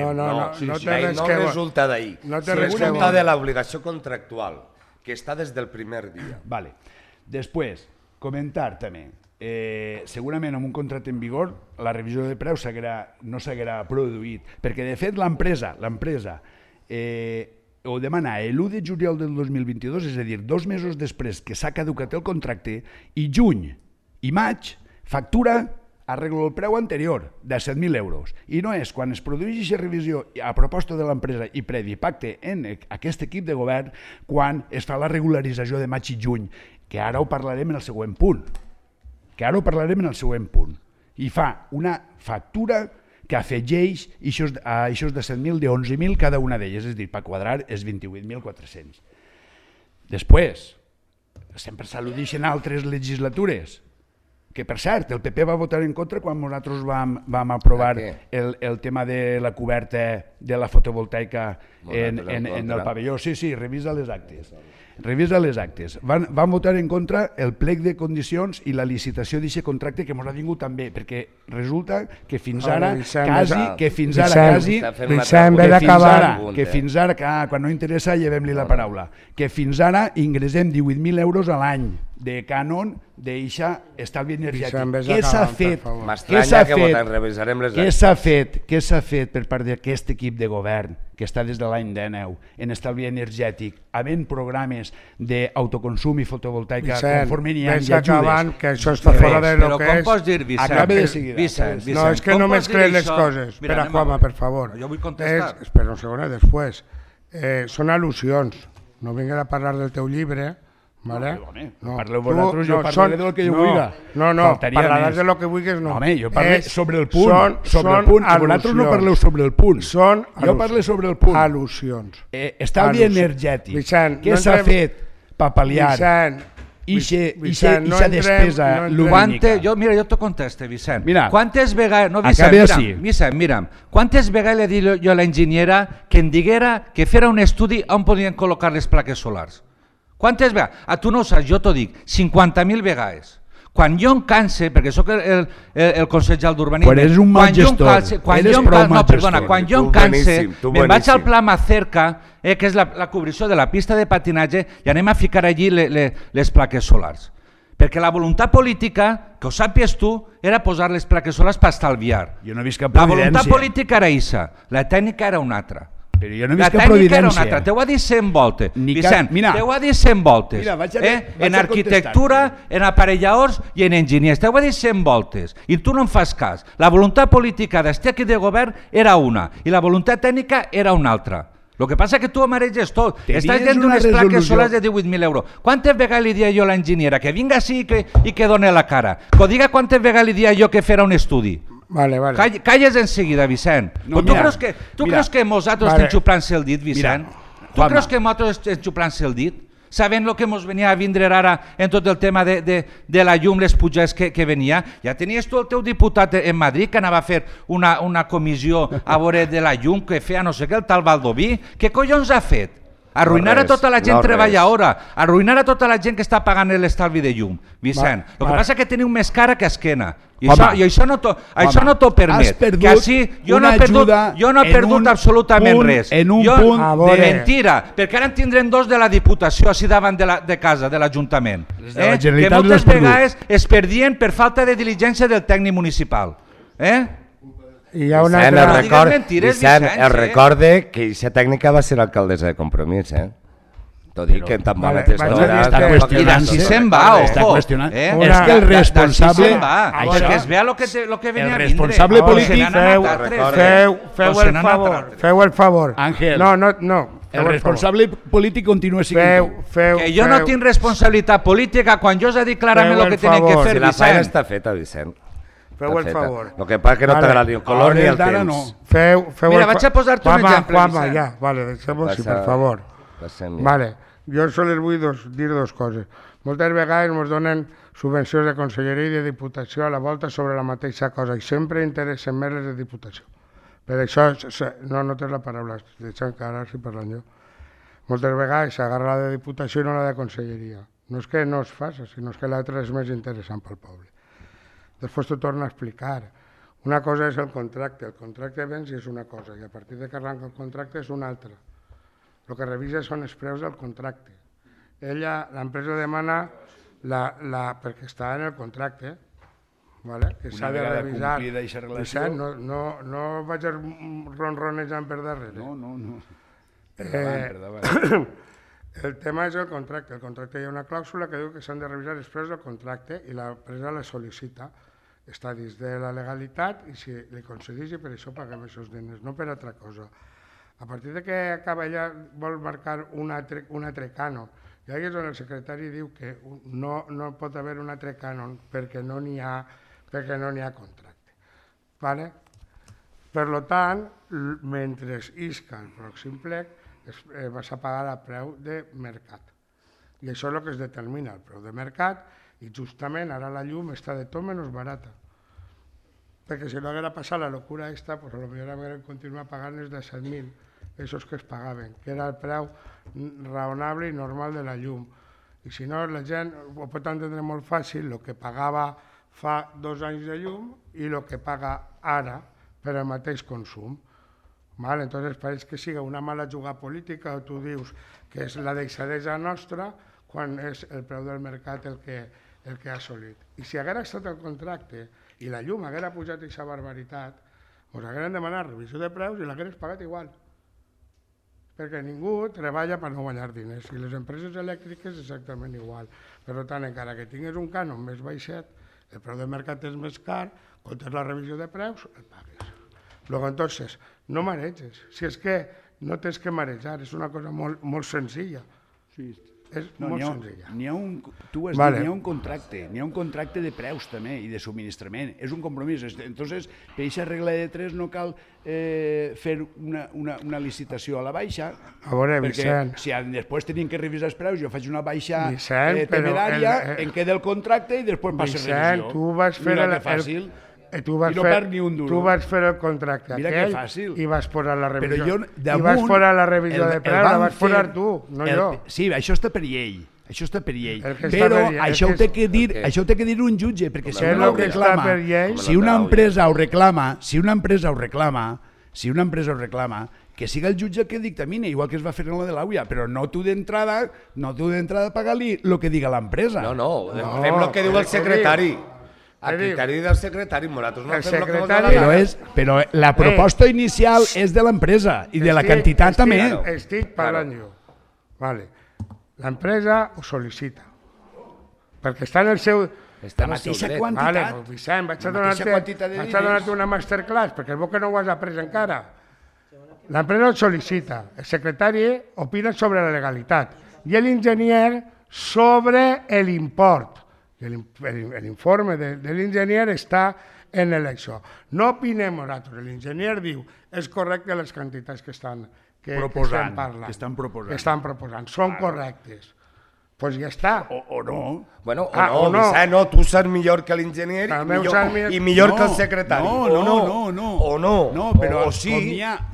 no resulta d'ahir. Resulta de l'obligació contractual, que està des del primer dia. Després, comentar també, segurament amb un contracte en vigor la revisió de preus no s'haguerà produït, perquè de fet l'empresa ho demana l'1 de juliol del 2022, és a dir, 2 mesos després que s'ha caducat el contracte, i juny i maig factura arreglo el preu anterior de 7.000 euros. I no és quan es produeix aquesta revisió a proposta de l'empresa i previ pacte en aquest equip de govern quan es fa la regularització de maig i juny, que ara ho parlarem en el següent punt. I fa una factura que afegeix a aquests de 7.000 de 11.000 cada una d'elles, és a dir, per quadrar és 28.400. Després, sempre s'al·ludeixen altres legislatures, que per cert, el PP va votar en contra quan nosaltres vam aprovar el tema de la coberta de la fotovoltaica en el pavelló. Sí, revisa les actes. Van votar en contra el plec de condicions i la licitació d'aquest contracte que ens ha vingut també, perquè resulta que fins ara quan no interessa llevem-li la paraula, que fins ara ingressem 18.000 euros a l'any de cànon d'eixa estalvi energètic. Vicent, Què s'ha fet? M'estranya que votem, revisarem les Què s'ha fet per part d'aquest equip de govern que està des de l'any 19 en estalvi energètic, havent programes d'autoconsum i fotovoltaica conforme n'hi ha i ajudes? Que això està fora de lo que és. Però com pots dir, Vicent? Acabe de seguida. Vicent, no, és que no mescles les coses. Espera, Juanma, per favor. Jo vull contestar. Espera un segon, després. Són al·lusions. No vinguin a parlar del teu llibre. Vale? No, parleu vosaltres, jo parlaré del que jo vulgui. No, parlaràs de lo que vulguis, no. Home, jo parlo sobre el punt. Vosaltres no parleu sobre el punt. Jo parlo sobre el punt. Al·lusions. Estalvi energètic. Què s'ha fet per pal·liar ixa despesa lumínica? Mira, jo t'ho conteste, Vicent. Mira, quantes vegades... No, Vicent, mira, quantes vegades li he dit jo a l'enginyera que em diguera que fera un estudi on podien col·locar les plaques solars? Quantes vegades? Tu no ho saps, jo t'ho dic, 50.000 vegades. Quan jo em canse, perquè sóc el consellal d'urbanisme... Quan eres un mal gestor, eres prou mal gestor. Quan jo em canse, me'n vaig al pla Macerca, que és la cobrició de la pista de patinatge, i anem a ficar allí les plaques solars. Perquè la voluntat política, que ho sàpies tu, era posar les plaques solars per estalviar. Jo no he vist cap evidència. La voluntat política era aquesta, la tècnica era una altra. Però jo no he vist cap providència. T'ho ha dit 100 voltes, Vicent, t'ho ha dit 100 voltes. En arquitectura, en aparelladors i en enginyers, t'ho ha dit 100 voltes. I tu no em fas cas. La voluntat política d'este equip de govern era una i la voluntat tècnica era una altra. El que passa és que tu amareges tot. Estàs dient d'unes plaques solars de 18.000 euros. Quantes vegades li dia jo a l'enginyera que vinga així i que doni la cara? Que diga quantes vegades li dia jo que fera un estudi. Vale. Calles en seguida, Vicent. Tu creus que nosaltres estem xuplant-se el dit, Vicent? Tu creus que nosaltres estem xuplant-se el dit? Sabent el que ens venia a vindre ara en tot el tema de la llum, les pujades que venia? Ja tenies tu el teu diputat en Madrid que anava a fer una comissió a veure de la llum que feia no sé què, el tal Baldoví. Què collons ha fet? Arruïnar a tota la gent treballadora, arruïnar a tota la gent que està pagant l'estalvi de llum. Vicent, el que passa és que teniu més cara que esquena. I això no t'ho permet. Que així jo no he perdut absolutament res. Mentira, perquè ara en tindrem dos de la Diputació així davant de casa, de l'Ajuntament. Que moltes vegades es perdien per falta de diligència del tècnic municipal. Vicent, recorde que aquesta tècnica va ser l'alcaldessa de Compromís, T'ho dic que tan mala testora... I d'ací se'n va, ojo. És que el responsable... Perquè es vea el que venia a vindre. El responsable polític... Feu el favor. Àngel. No. El responsable polític continua sent tu. Que jo no tinc responsabilitat política quan jo us he dit clarament el que tenen que fer, Vicent. La feina està feta, Vicent. Feu el favor. El que passa que no t'agrada ni el color ni el temps. Mira, vaig a posar-te un exemple, Vicent. Ja, vale, deixem-ho així, per favor. Vale, jo sols vull dir dos coses. Moltes vegades ens donen subvencions de conselleria i de diputació a la volta sobre la mateixa cosa i sempre interessen més les de diputació. Per això, no tens la paraula, deixa'm que ara estic parlant jo. Moltes vegades s'agarra la de diputació i no la de conselleria. No és que no es faci, sinó que l'altra és més interessant pel poble. Després t'ho torno a explicar. Una cosa és el contracte béns i és una cosa, i a partir de que arranca el contracte és una altra. El que revisa són els preus del contracte. L'empresa demana, perquè està en el contracte, que s'ha de revisar. Vicent, no vaig ronronejant per darrere. No. El tema és el contracte. El contracte hi ha una clàusula que diu que s'han de revisar els preus del contracte i l'empresa la sol·licita. Està dins de la legalitat i si li concedeix i per això paguem aquests diners, no per altra cosa. A partir de que acaba ella vol marcar un altre cànon, i allà és on el secretari diu que no pot haver un altre cànon perquè no n'hi ha contracte. Per tant, mentre isca el pròxim plec, vas a pagar a preu de mercat. I això és el que es determina, el preu de mercat, i justament ara la llum està de tot menys barata. Perquè si no haguera passat la locura aquesta, potser haguérem continuat pagant els de 7.000, aquests que es pagaven, que era el preu raonable i normal de la llum. I si no, la gent ho pot entendre molt fàcil, el que pagava fa 2 anys de llum i el que paga ara per al mateix consum. Entonces pareix que siga una mala jugada política o tu dius que és la deixadesa nostra quan és el preu del mercat el que ha assolit. I si haguera estat el contracte i la llum haguera pujat aquesta barbaritat, ens hagueren demanat revisió de preus i l'hagueres pagat igual. Perquè ningú treballa per no guanyar diners i les empreses elèctriques exactament igual. Per tant, encara que tinguis un cànon més baixet, el preu del mercat és més car, comptes la revisió de preus, el pagues. Luego, entonces, no mareges. Si és que no tens que marejar, és una cosa molt senzilla. És molt senzilla. N'hi ha un contracte de preus també i de subministrament, és un compromís. Entonces, per aquesta regla de 3 no cal fer una licitació a la baixa, perquè si després tenim que revisar els preus, jo faig una baixa temerària, em queda el contracte i després passa revisió. Tu vas fer Tu vas fer el contracte aquell i vas posar la revisió. I vas posar la revisió de preu, la vas posar tu, no jo. Sí, això està per llei. Això està per llei. Però això ho té que dir un jutge, perquè si no ho reclama, si una empresa ho reclama, que siga el jutge el que dictamine, igual que es va fer en la de l'AUIA, però no tu d'entrada pagar-li el que diga l'empresa. No, fem el que diu el secretari. A criteri del secretari, nosaltres no fem el que vol dir. Però la proposta inicial és de l'empresa i de la quantitat també. Estic parlant jo. L'empresa ho sol·licita, perquè està en el seu... La mateixa quantitat. Vicent, vaig a donar-te una masterclass, perquè és bo que no ho has après encara. L'empresa ho sol·licita, el secretari opina sobre la legalitat i l'enginyer sobre l'import. L'informe de l'enginyer està en això. No opinem nosaltres, l'enginyer diu és correcte les quantitats que estan parlant, que estan proposant, són correctes. Doncs ja està. O no. Bueno, o no, Vicent, no, tu saps millor que l'enginyer i millor que el secretari. No, però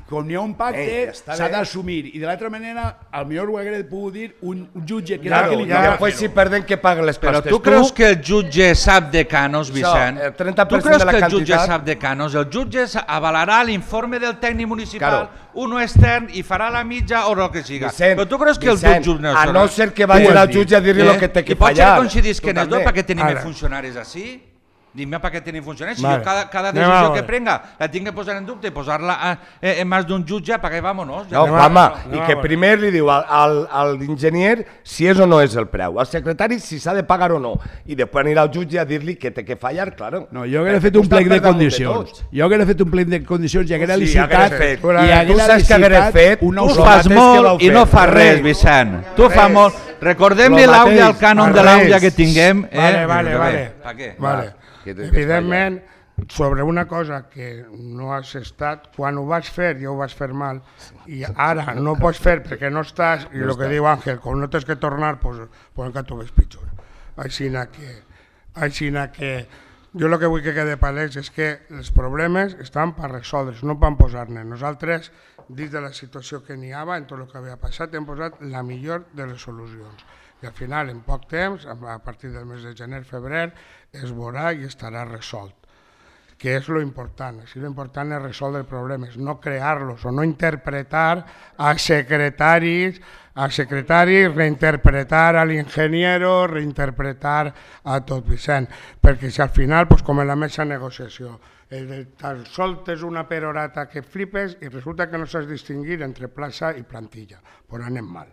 com n'hi ha un pacte, s'ha d'assumir. I de l'altra manera, potser ho hauria pogut dir un jutge que era el que li toca fer-ho. Després si perden que paguen les costes. Però tu creus que el jutge sap de canos, Vicent? Tu creus que el jutge sap de canos? El jutge avalarà l'informe del tècnic municipal, uno extern, i farà la mitja o el que siga. Però tu creus que el jutge no a no ser que vagi al jutge a dir-li el que té que fallar. I pot ser que coincidís que en els dos perquè tenim funcionaris així? Dime per què tenim funcionaris. Si jo cada decisió que prenga la tinc que posar en dubte i posar-la en mans d'un jutge, perquè vámonos. No, home, i que primer li diu a l'enginyer si és o no és el preu, al secretari si s'ha de pagar o no, i després anirà al jutge a dir-li que té que fallar, claro. No, jo hauria fet un plec de condicions. Jo hauria fet un plec de condicions i hauria licitat Tu fas molt i no fas res, Vicent. Tu fas molt. Recordem-li l'àudia, el cànon de l'àudia que tinguem. Vale. Evidentment, sobre una cosa que no has estat, quan ho vas fer ja ho vas fer mal i ara no ho pots fer perquè no estàs, i el que diu Àngel, com no tens que tornar, doncs encara t'ho ves pitjor. Així que jo el que vull que quede palès és que els problemes estan per resoldre's, no per posar-ne. Nosaltres, dins de la situació que n'hi havia, en tot el que havia passat, hem posat la millor de les solucions. I al final, en poc temps, a partir del mes de gener-febrer, es veurà i estarà resolt, que és lo important. Lo important és resoldre problemes, no crear-los o no interpretar a secretaris, reinterpretar a l'ingeniero, reinterpretar a tot Vicent, perquè si al final, com en la mesa de negociació, tan soltes una perorata que flipes i resulta que no saps distingir entre plaça i plantilla, però anem mal.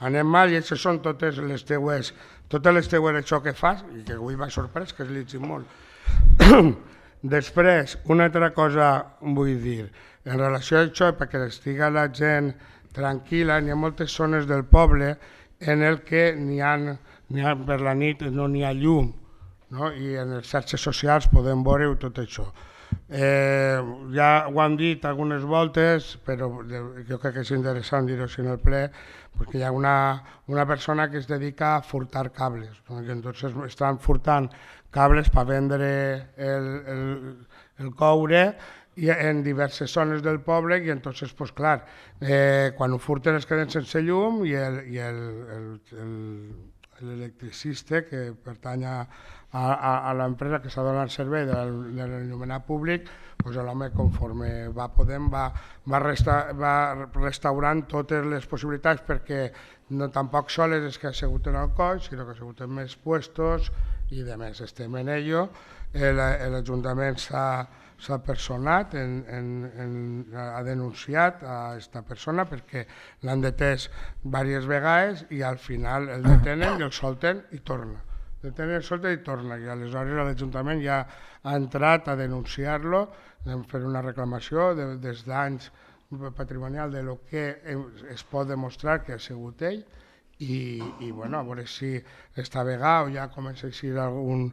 Anem mal i això són totes les teues això que fas, i que avui m'ha sorprès, que has llegit molt. Després, una altra cosa vull dir, en relació a això, perquè estiga la gent tranquil·la, n'hi ha moltes zones del poble en el que per la nit no n'hi ha llum, i en les xarxes socials podem veure tot això. Ja ho hem dit algunes voltes, però jo crec que és interessant dir-ho en el ple, perquè hi ha una persona que es dedica a furtar cables, que entonces estan furtant cables per vendre el coure en diverses zones del poble i entonces, pues clar, quan ho furten es queden sense llum i l'electricista, que pertany a l'empresa que s'ha donat servei de l'enllumenat públic, doncs l'home, conforme va podent, va restaurant totes les possibilitats, perquè no tampoc soles és que ha sigut en el coll, sinó que ha sigut en més puestos i de més. Estem en ello. L'Ajuntament s'ha personat, ha denunciat a aquesta persona perquè l'han detès diverses vegades i al final el detenen i el solten i torna. Detenen, el solten i torna. I aleshores l'Ajuntament ja ha entrat a denunciar-lo, fer una reclamació dels danys patrimonial de lo que es pot demostrar que ha sigut ell i bueno, a veure si esta vegada ja comença a existir algun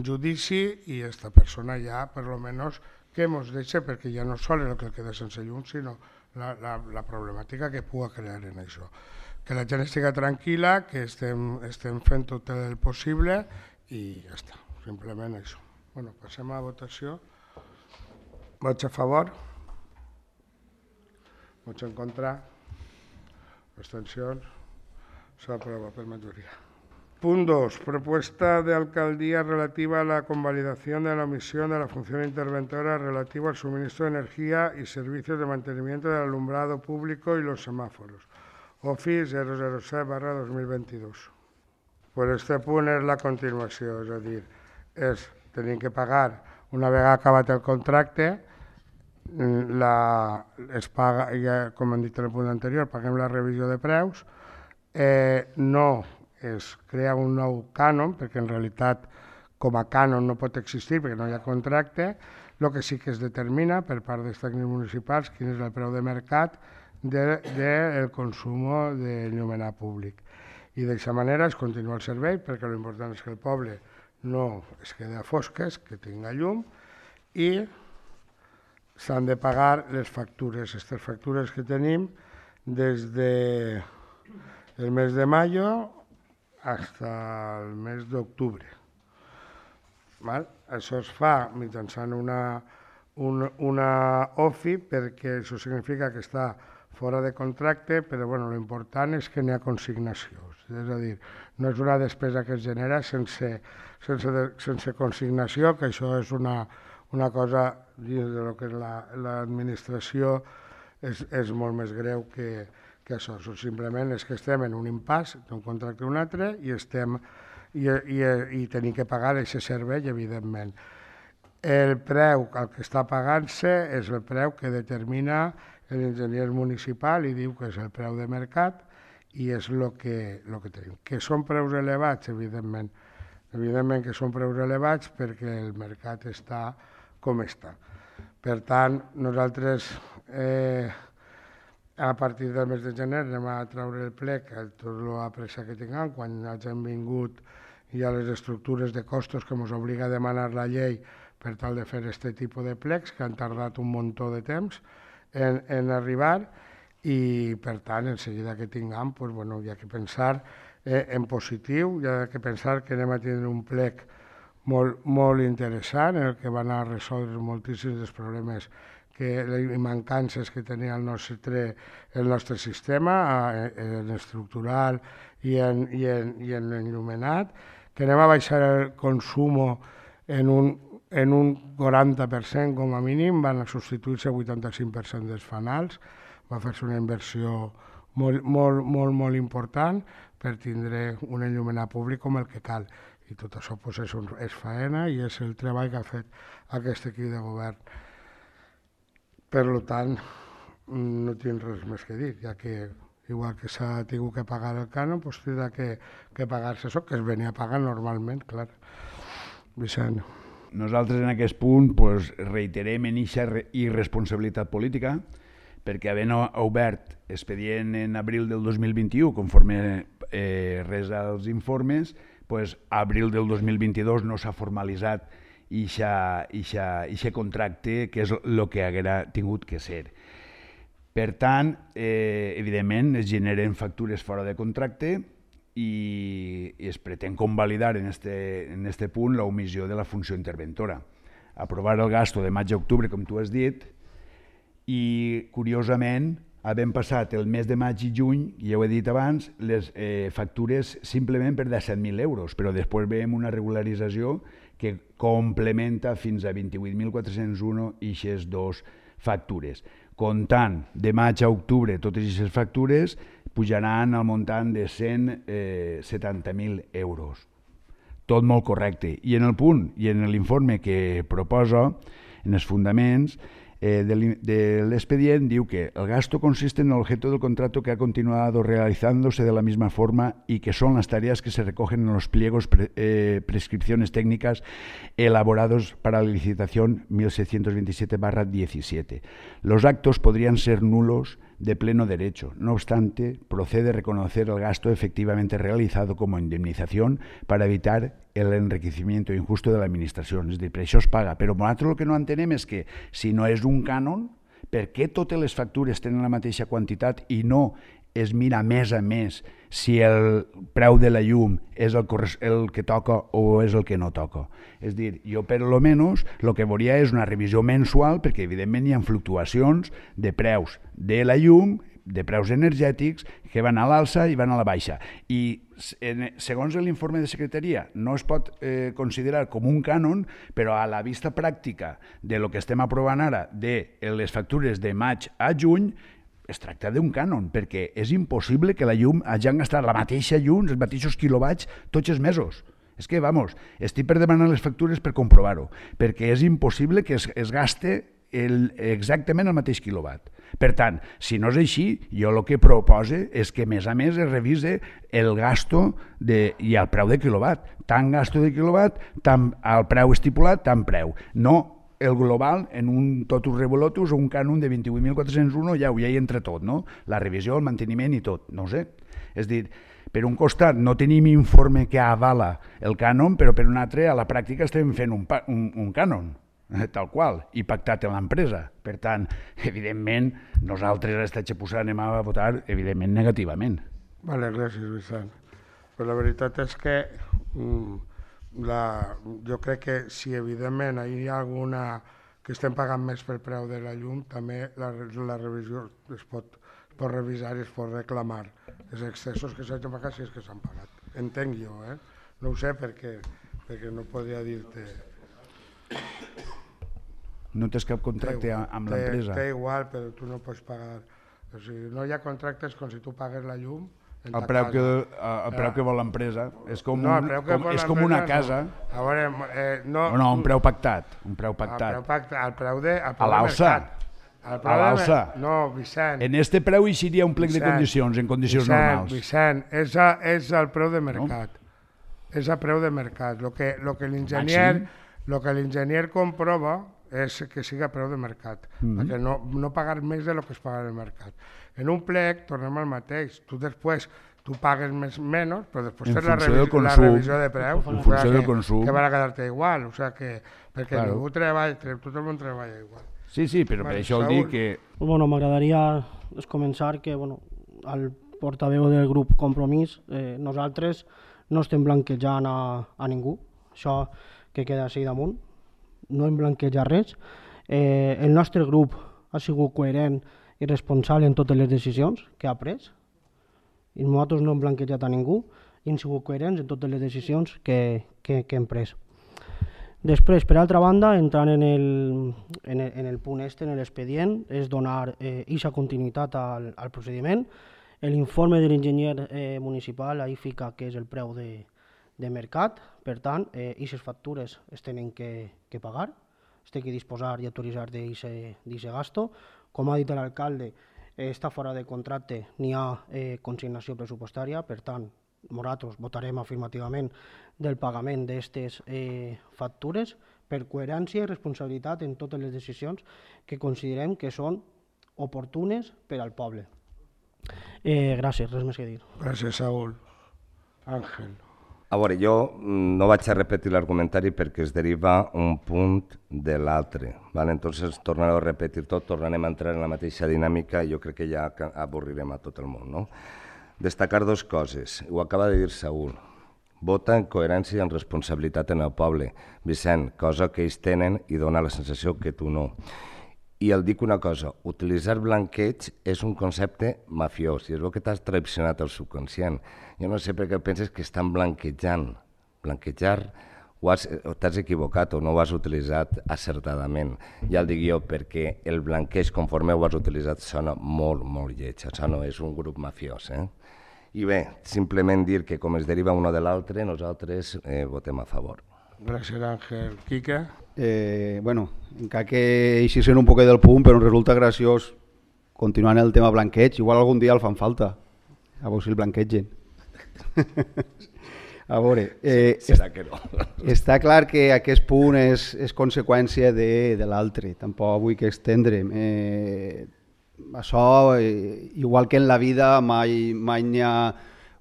judici i aquesta persona ja, per lo menos, que ens deixa, perquè ja no sol el que queda sense llum, sinó la problemàtica que pugui crear en això. Que la gent estigui tranquil·la, que estem fent tot el possible i ja està, simplement això. Bueno, passem a votació. Vots a favor? Vots en contra? Abstencions? S'aprova per majoria. Punto 2. Propuesta de alcaldía relativa a la convalidación de la omisión de la función interventora relativa al suministro de energía y servicios de mantenimiento del alumbrado público y los semáforos. OFI 007/2022. Pues este punt és la continuació, és a dir, tenim que pagar, una vegada acabat el contracte, es paga, ja, com hem dit en el punt anterior, paguem la revisió de preus, no es crea un nou cànon, perquè en realitat com a cànon no pot existir perquè no hi ha contracte. El que sí que es determina per part dels tècnics municipals quin és el preu de mercat del consum d'enllumenat públic. I d'aquesta manera es continua el servei, perquè l'important és que el poble no es quedi a fosques, que tinga llum, i s'han de pagar les factures, aquestes factures que tenim des del mes de mayo hasta el mes d'octubre. Això es fa mitjançant una OFI, perquè això significa que està fora de contracte, però l'important és que n'hi ha consignació. És a dir, no és una despesa que es genera sense consignació, que això és una cosa dins del que és l'administració és molt més greu que això. Simplement és que estem en un impàs d'un contracte a un altre i tenim que pagar aquest servei, evidentment. El preu, el que està pagant-se, és el preu que determina l'enginyer municipal i diu que és el preu de mercat i és el que tenim. Que són preus elevats, evidentment. Evidentment que són preus elevats perquè el mercat està com està. Per tant, nosaltres a partir del mes de gener anem a treure el plec, tot la pressa que tinguem, quan hagin vingut ja les estructures de costos que ens obliga a demanar la llei per tal de fer aquest tipus de plecs, que han tardat un muntó de temps en arribar, i per tant, en seguida que tinguem, hi ha que pensar en positiu, hi ha que pensar que anem a tindre un plec molt interessant, en el que van a resoldre moltíssims dels problemes i mancances que tenia el nostre sistema, en estructural i en l'enllumenat, que anem a baixar el consum en un 40% com a mínim, van a substituir-se el 85% dels fanals, va fer-se una inversió molt important per tindre un enllumenat públic com el que cal. I tot això és faena i és el treball que ha fet aquest equip de govern. Per tant, no tinc res més que dir, ja que igual que s'ha tingut que pagar el cànon, tindrà que pagar-se això, que es venia a pagar normalment, clar. Vicent. Nosaltres en aquest punt reiterem en aquesta irresponsabilitat política, perquè havent obert expedient en abril del 2021, conforme res als informes, a abril del 2022 no s'ha formalitzat aquest contracte, que és el que haguera tingut que ser. Per tant, evidentment, es generen factures fora de contracte i es pretén convalidar en aquest punt l'omissió de la funció interventora. Aprovar el gasto de maig a octubre, com tu has dit, i, curiosament, havent passat el mes de maig i juny, ja ho he dit abans, les factures simplement per 17.000 euros, però després veiem una regularització que complementa fins a 28.401 eixes dos factures. Comptant de maig a octubre totes aquestes factures pujaran al muntant de 170.000 euros. Tot molt correcte. I en el punt, i en l'informe que proposa, en els fundaments de l'expedient, diu que el gasto consiste en el objeto del contrato que ha continuado realizándose de la misma forma y que son las tareas que se recogen en los pliegos prescripciones técnicas elaborados para la licitación 1627/17. Los actos podrían ser nulos de pleno derecho. No obstante, procede reconocer el gasto efectivamente realizado como indemnización para evitar el enriquecimiento injusto de la administración. És a dir, per això es paga. Però nosaltres el que no entenem és que si no és un cànon, per què totes les factures tenen la mateixa quantitat i no es mira mes a mes si el preu de la llum és el que toca o és el que no toca. És a dir, jo per lo menys el que veuria és una revisió mensual perquè evidentment hi ha fluctuacions de preus de la llum, de preus energètics que van a l'alça i van a la baixa. I segons l'informe de secretaria no es pot considerar com un cànon, però a la vista pràctica de lo que estem aprovant ara de les factures de maig a juny es tracta d'un cànon, perquè és impossible que la llum hagin gastat la mateixa llum, els mateixos quilowatts, tots els mesos. És que, vamos, estic per demanar les factures per comprovar-ho, perquè és impossible que es gaste exactament el mateix quilowatt. Per tant, si no és així, jo el que propose és que, a més es revise el gasto i el preu de quilowatt. Tant gasto de quilowatt, tant el preu estipulat, tant preu. No el global en un totus revolutus o un cànon de 28.401, ja hi entra tot, no? La revisió, el manteniment i tot, no ho sé. És a dir, per un costat no tenim informe que avala el cànon, però per un altre a la pràctica estem fent un cànon, tal qual, i pactat amb l'empresa. Per tant, evidentment, nosaltres a l'Estatge anem a votar, evidentment, negativament. Vale, gràcies, Vicent. Però la veritat és que jo crec que si evidentment hi ha alguna que estem pagant més per preu de la llum, també la revisió es pot revisar i es pot reclamar els excessos que s'hagin pagat si és que s'han pagat. Entenc jo, no ho sé perquè no podria dir-te... No tens cap contracte amb l'empresa? Té igual, però tu no pots pagar. O sigui, no hi ha contractes com si tu pagues la llum. El preu que vol l'empresa és com una casa. A veure, no, un preu pactat. El preu de mercat. A l'alça. No, Vicent. En este preu hi seria un plec de condicions, en condicions normals. Vicent, és el preu de mercat. És el preu de mercat. El que l'enginyer comprova és que siga preu de mercat, perquè no pagar més del que es paga en el mercat. En un plec tornem al mateix, tu després pagues menys, però després fes la revisió de preu, en funció del consum, que van a quedar-te igual, perquè ningú treballa, tot el món treballa igual. Sí, però per això el dic que... Bueno, m'agradaria començar que el portaveu del grup Compromís, nosaltres no estem blanquejant a ningú, això que queda així damunt, no hem blanquejat res. El nostre grup ha sigut coherent i responsable en totes les decisions que ha pres i nosaltres no hem blanquejat a ningú i hem sigut coherents en totes les decisions que hem pres. Després, per altra banda, entrant en el punt en l'expedient, és donar aquesta continuïtat al procediment. L'informe de l'enginyer municipal ahí fica que és el preu de mercat, per tant, aquestes factures es tenen que pagar, es té que disposar i autoritzar d'aquest gasto. Com ha dit l'alcalde, està fora de contracte, n'hi ha consignació pressupostària, per tant, nosaltres votarem afirmativament del pagament d'aquestes factures per coherència i responsabilitat en totes les decisions que considerem que són oportunes per al poble. Gràcies, res més que dir. Gràcies, Saúl. Àngel. A veure, jo no vaig a repetir l'argumentari perquè es deriva un punt de l'altre. Entonces tornaré a repetir tot, tornarem a entrar en la mateixa dinàmica i jo crec que ja avorrirem a tot el món. Destacar dues coses, ho acaba de dir Saúl. Vota en coherència i en responsabilitat en el poble. Vicent, cosa que ells tenen i dona la sensació que tu no. I el dic una cosa, utilitzar blanqueig és un concepte mafiós, i és el que t'has traicionat el subconscient. Jo no sé per què penses que estan blanquejant. Blanquejar o t'has equivocat o no ho has utilitzat acertadament. Ja el dic jo, perquè el blanqueig, conforme ho has utilitzat, sona molt, molt lleig. Això no és un grup mafiós. I bé, simplement dir que com es deriva uno de l'altre, nosaltres votem a favor. Gràcies, Àngel. Quique? Bueno, encara que així sent un poquet del punt, però em resulta graciós continuant el tema blanqueig. Igual algun dia el fan falta, a veure si el blanquegen. A veure, serà que no. Està clar que aquest punt és conseqüència de l'altre, tampoc vull que estendrem. Això, igual que en la vida, mai n'hi ha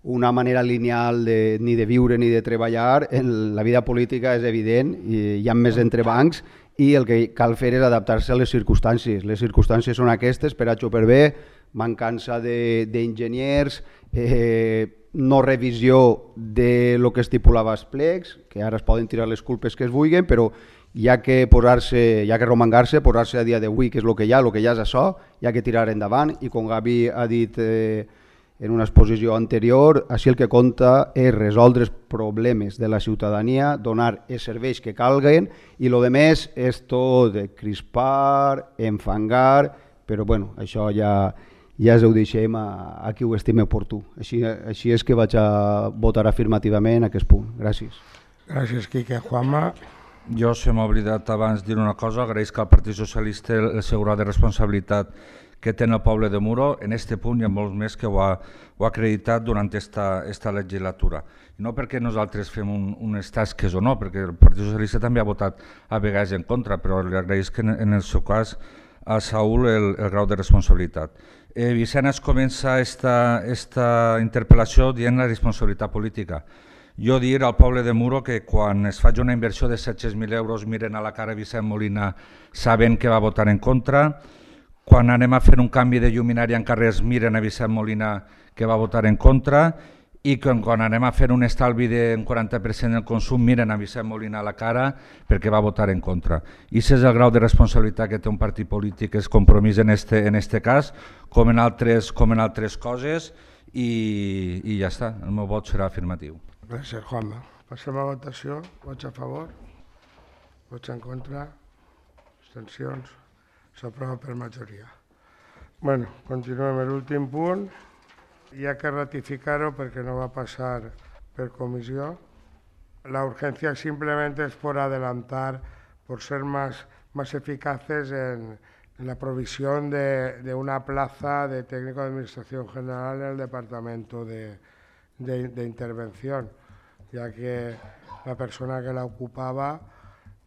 una manera lineal ni de viure ni de treballar. En la vida política és evident, hi ha més entrebancs i el que cal fer és adaptar-se a les circumstàncies. Les circumstàncies són aquestes, per H o per B, mancança d'enginyers, no revisió de lo que estipulava els plecs, que ara es poden tirar les culpes que es vulguin, però hi ha que romangar-se, posar-se a dia d'avui, que és el que hi ha és això, hi ha que tirar endavant, i com Gavi ha dit en una exposició anterior, així el que compta és resoldre els problemes de la ciutadania, donar els serveis que calguen, i el que més és tot de crispar, enfangar, però bueno, això ja ho deixem a qui ho estime oportú. Així és que vaig a votar afirmativament aquest punt. Gràcies. Gràcies, Quique. Juanma? Jo se m'ha oblidat abans dir una cosa, agraeix que el Partit Socialista el seu grau de responsabilitat que té el poble de Muro, en aquest punt hi ha molts més que ho ha acreditat durant aquesta legislatura. I no perquè nosaltres fem unes tasques o no, perquè el Partit Socialista també ha votat a vegades en contra, però li agraeix que en el seu cas a Saúl el grau de responsabilitat. Vicent es comença esta interpel·lació dient la responsabilitat política. Jo dir al poble de Muro que quan es faci una inversió de 700.000 euros miren a la cara Vicent Molina sabent que va votar en contra, quan anem a fer un canvi de lluminària en carrers miren a Vicent Molina que va votar en contra, i quan anem a fer un estalvi d'un 40% del consum miren a Vicent Molina a la cara perquè va votar en contra. I aquest és el grau de responsabilitat que té un partit polític, és compromís en este cas, com en altres coses, i ja està, el meu vot serà afirmatiu. Gràcies, Juanma. Passem a votació. Vots a favor? Vots en contra? Abstencions? S'aprova per majoria. Bueno, continuem l'últim punt. Hi ha que ratificar-ho perquè no va passar per comissió. La urgencia simplemente es por adelantar, por ser más eficaces en la provisión de una plaza de técnico de administración general en el departamento de intervención, ya que la persona que la ocupaba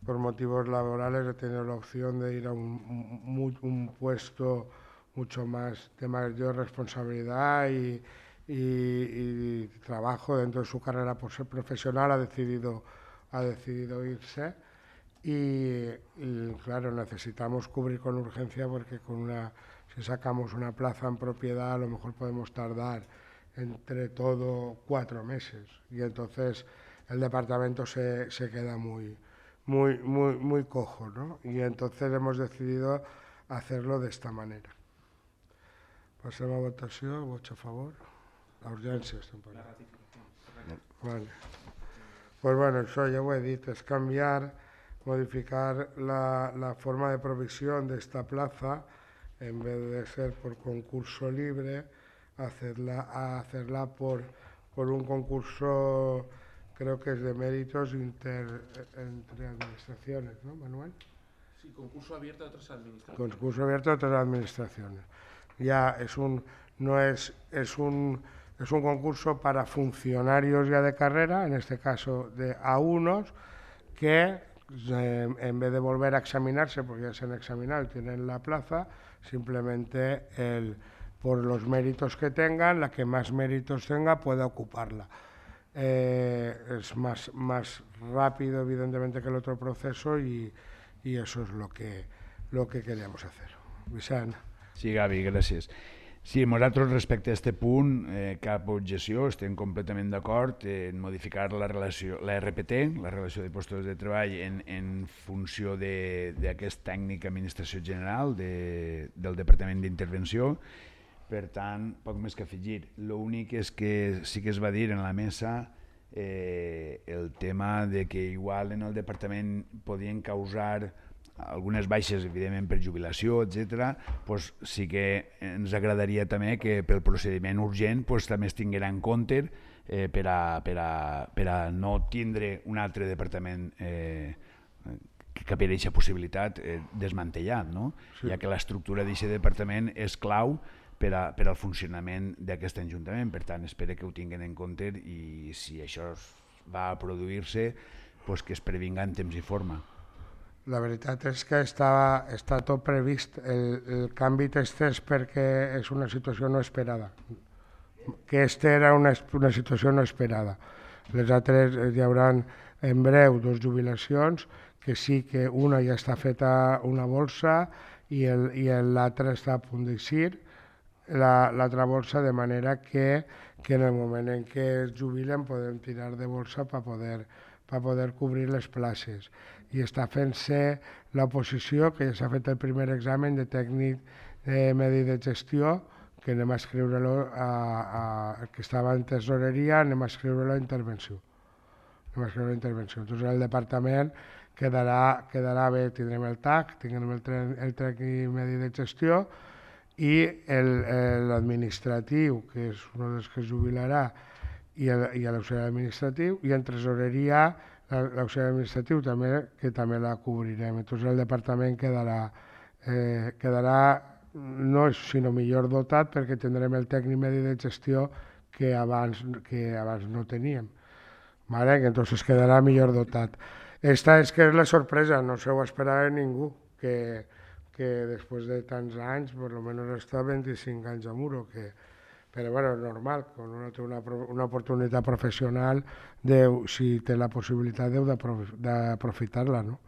por motivos laborales ha tenido la opción de ir a un puesto mucho más de mayor responsabilidad y trabajo dentro de su carrera por ser profesional, ha decidido irse y claro, necesitamos cubrir con urgencia porque si sacamos una plaza en propiedad a lo mejor podemos tardar entre todo 4 meses y entonces el departamento se queda muy cojo, ¿no? Y entonces hemos decidido hacerlo de esta manera. Passem a votació, vots a favor. La urgència estem parlant. Vale. Pues bueno, això ja ho he dit, és modificar la forma de provisión de esta plaza, en vez de ser por concurso libre, hacerla por un concurso, creo que es de méritos entre administraciones, ¿no, Manuel? Sí, concurso abierto a otras administraciones. Concurso abierto a otras administraciones. Ya es un concurso para funcionarios ya de carrera, en este caso de A1, que en vez de volver a examinarse, porque ya se han examinado y tienen la plaza, simplemente por los méritos que tengan, la que más méritos tenga pueda ocuparla. Es más rápido, evidentemente, que el otro proceso y eso es lo que queríamos hacer. Vicent. Sí, Gavi, gràcies. Sí, nosaltres respecte a aquest punt, cap objecció, estem completament d'acord en modificar la RPT, la relació de postos de treball, en funció d'aquest tècnic administració general del Departament d'Intervenció. Per tant, poc més que afegir. L'únic és que sí que es va dir en la mesa el tema de que igual en el departament podien causar algunes baixes, evidentment, per jubilació, etc. Doncs sí que ens agradaria també que pel procediment urgent també es tinguera en compte per a no tindre un altre departament que per aquesta possibilitat desmantellat, no? Ja que l'estructura d'aquest departament és clau per al funcionament d'aquest Ajuntament. Per tant, espero que ho tinguin en compte i si això va a produir-se, que es previnga en temps i forma. La veritat és que està tot previst. El canvi t'estès perquè és una situació no esperada. Que aquesta era una situació no esperada. Les altres hi haurà en breu 2 jubilacions, que sí que una ja està feta una bolsa i l'altra està a punt d'eixir, l'altra bolsa, de manera que en el moment en què es jubilen podem tirar de bolsa per poder cobrir les places. I està fent-se l'oposició, que ja s'ha fet el primer examen de tècnic de medi de gestió, que anem a escriure-lo, que estava en tesoreria, anem a escriure-lo a intervenció. Entonces el departament quedarà bé, tindrem el TAC, tindrem el tècnic medi de gestió i l'administratiu, que és un dels que es jubilarà, i l'auxiliar administratiu, i en tresoreria l'auxiliar administratiu que també la cobrirem. Entonces el departament quedarà no sinó millor dotat perquè tindrem el tècnic medi de gestió que abans no teníem. Vale? Entonces quedarà millor dotat. Esta és que és la sorpresa, no se ho esperava ningú, que després de tants anys, per almenys està 25 anys a Muro, però bueno, és normal, quan uno té una oportunitat professional, si té la possibilitat deu d'aprofitar-la, no?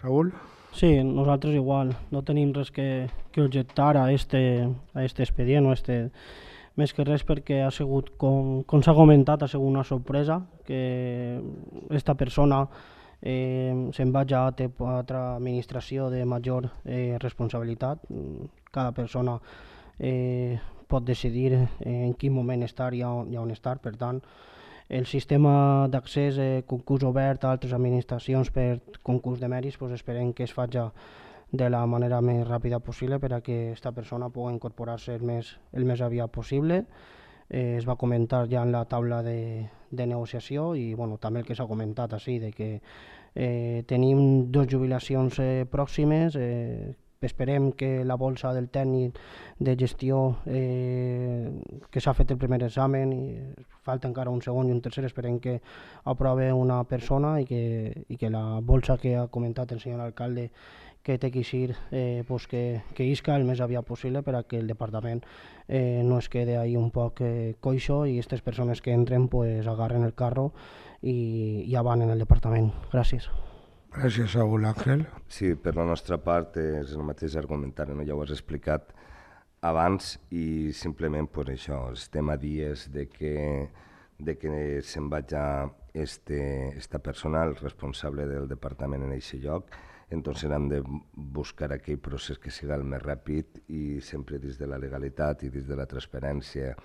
Saúl? Sí, nosaltres igual, no tenim res que objectar a este expedient, més que res perquè ha sigut, com s'ha comentat, ha sigut una sorpresa que esta persona se'n vagi a altra administració de major responsabilitat. Cada persona pot decidir en quin moment estar i on estar. Per tant, el sistema d'accés concurs obert a altres administracions per concurs de mèrits, esperem que es faci de la manera més ràpida possible per a que aquesta persona pugui incorporar-se el més aviat possible. Es va comentar ja en la taula de negociació i també el que s'ha comentat així, que tenim 2 jubilacions pròximes. Esperem que la bolsa del tècnic de gestió, que s'ha fet el primer examen, i falta encara un segon i un tercer, esperem que aprove una persona i que la bolsa que ha comentat el senyor alcalde que té que eixir, que isca el més aviat possible per a que el departament no es quede ahí un poc coixo i aquestes persones que entren agarren el carro i avant en el departament. Gràcies. Gràcies, Saúl. Àngel? Sí, per la nostra part és el mateix argumentari, ja ho has explicat abans i simplement això, estem a dies de que se'n vagi esta persona, el responsable del departament en aquest lloc, entonces hem de buscar aquell procés que siga el més ràpid i sempre des de la legalitat i des de la transparència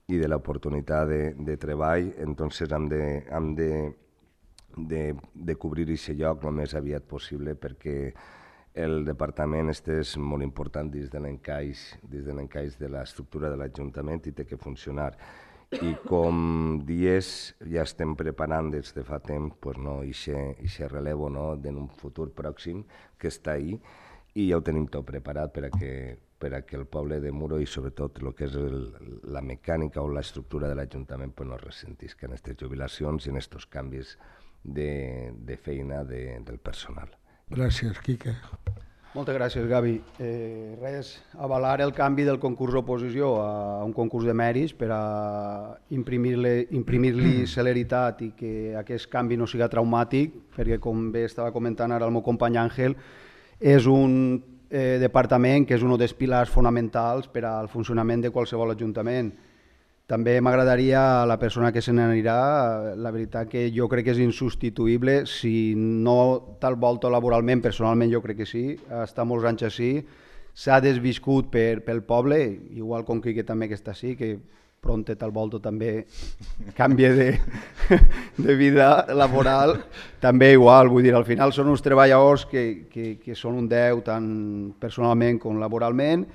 i de l'oportunitat de treball, entonces hem de cobrir aquest lloc el més aviat possible perquè el departament és molt important dins de l'encaix de l'estructura de l'Ajuntament i té que funcionar. I com dies ja estem preparant des de fa temps aquest relevo en un futur pròxim que està ahí i ja ho tenim tot preparat per a que el poble de Muro i sobretot el que és la mecànica o l'estructura de l'Ajuntament no ressentisca en aquestes jubilacions i en aquests canvis de feina del personal. Gràcies, Quique. Moltes gràcies, Gavi. Avalar el canvi del concurs d'oposició a un concurs de mèrits per a imprimir-li celeritat i que aquest canvi no siga traumàtic, perquè com bé estava comentant ara el meu company Àngel, és un departament, que és un dels pilars fonamentals per al funcionament de qualsevol ajuntament. També m'agradaria, la persona que se n'anirà, la veritat que jo crec que és insubstituïble, si no tal volta laboralment, personalment jo crec que sí, està molts anys així, s'ha desviscut pel poble, igual com que també que està així, que pront tal volta també canvia de vida laboral, també igual, vull dir, al final són uns treballadors que són un 10 tant personalment com laboralment,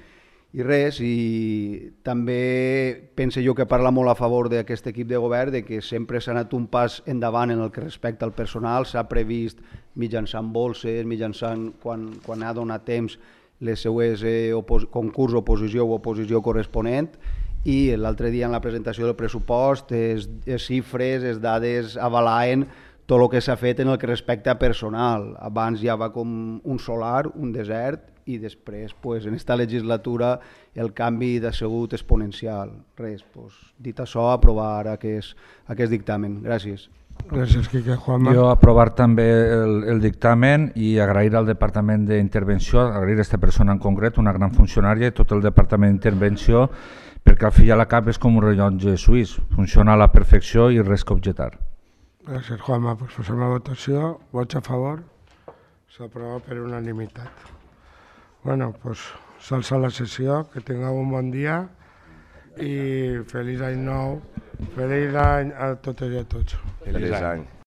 i res, i també penso jo que parla molt a favor d'aquest equip de govern, de que sempre s'ha anat un pas endavant en el que respecta al personal, s'ha previst mitjançant bolses, mitjançant quan ha donat temps les seues concurs, oposició o oposició corresponent, i l'altre dia en la presentació del pressupost les xifres, les dades avalaven tot el que s'ha fet en el que respecta a personal. Abans ja va com un solar, un desert, i després en aquesta legislatura el canvi ha sigut exponencial. Res, dit això, aprovar aquest dictamen. Gràcies. Gràcies, Quique. Juanma. Jo aprovar també el dictamen i agrair al Departament d'Intervenció, agrair a aquesta persona en concret, una gran funcionària, i tot el Departament d'Intervenció, perquè al fi i a la cap és com un rellotge suís, funciona a la perfecció i res que objectar. Gràcies, Juanma. Posem a votació. Vots a favor? S'aprova per unanimitat. Bueno, s'alça la sessió, que tingueu un bon dia i feliç any nou, feliç any a totes i a tots. Feliç any.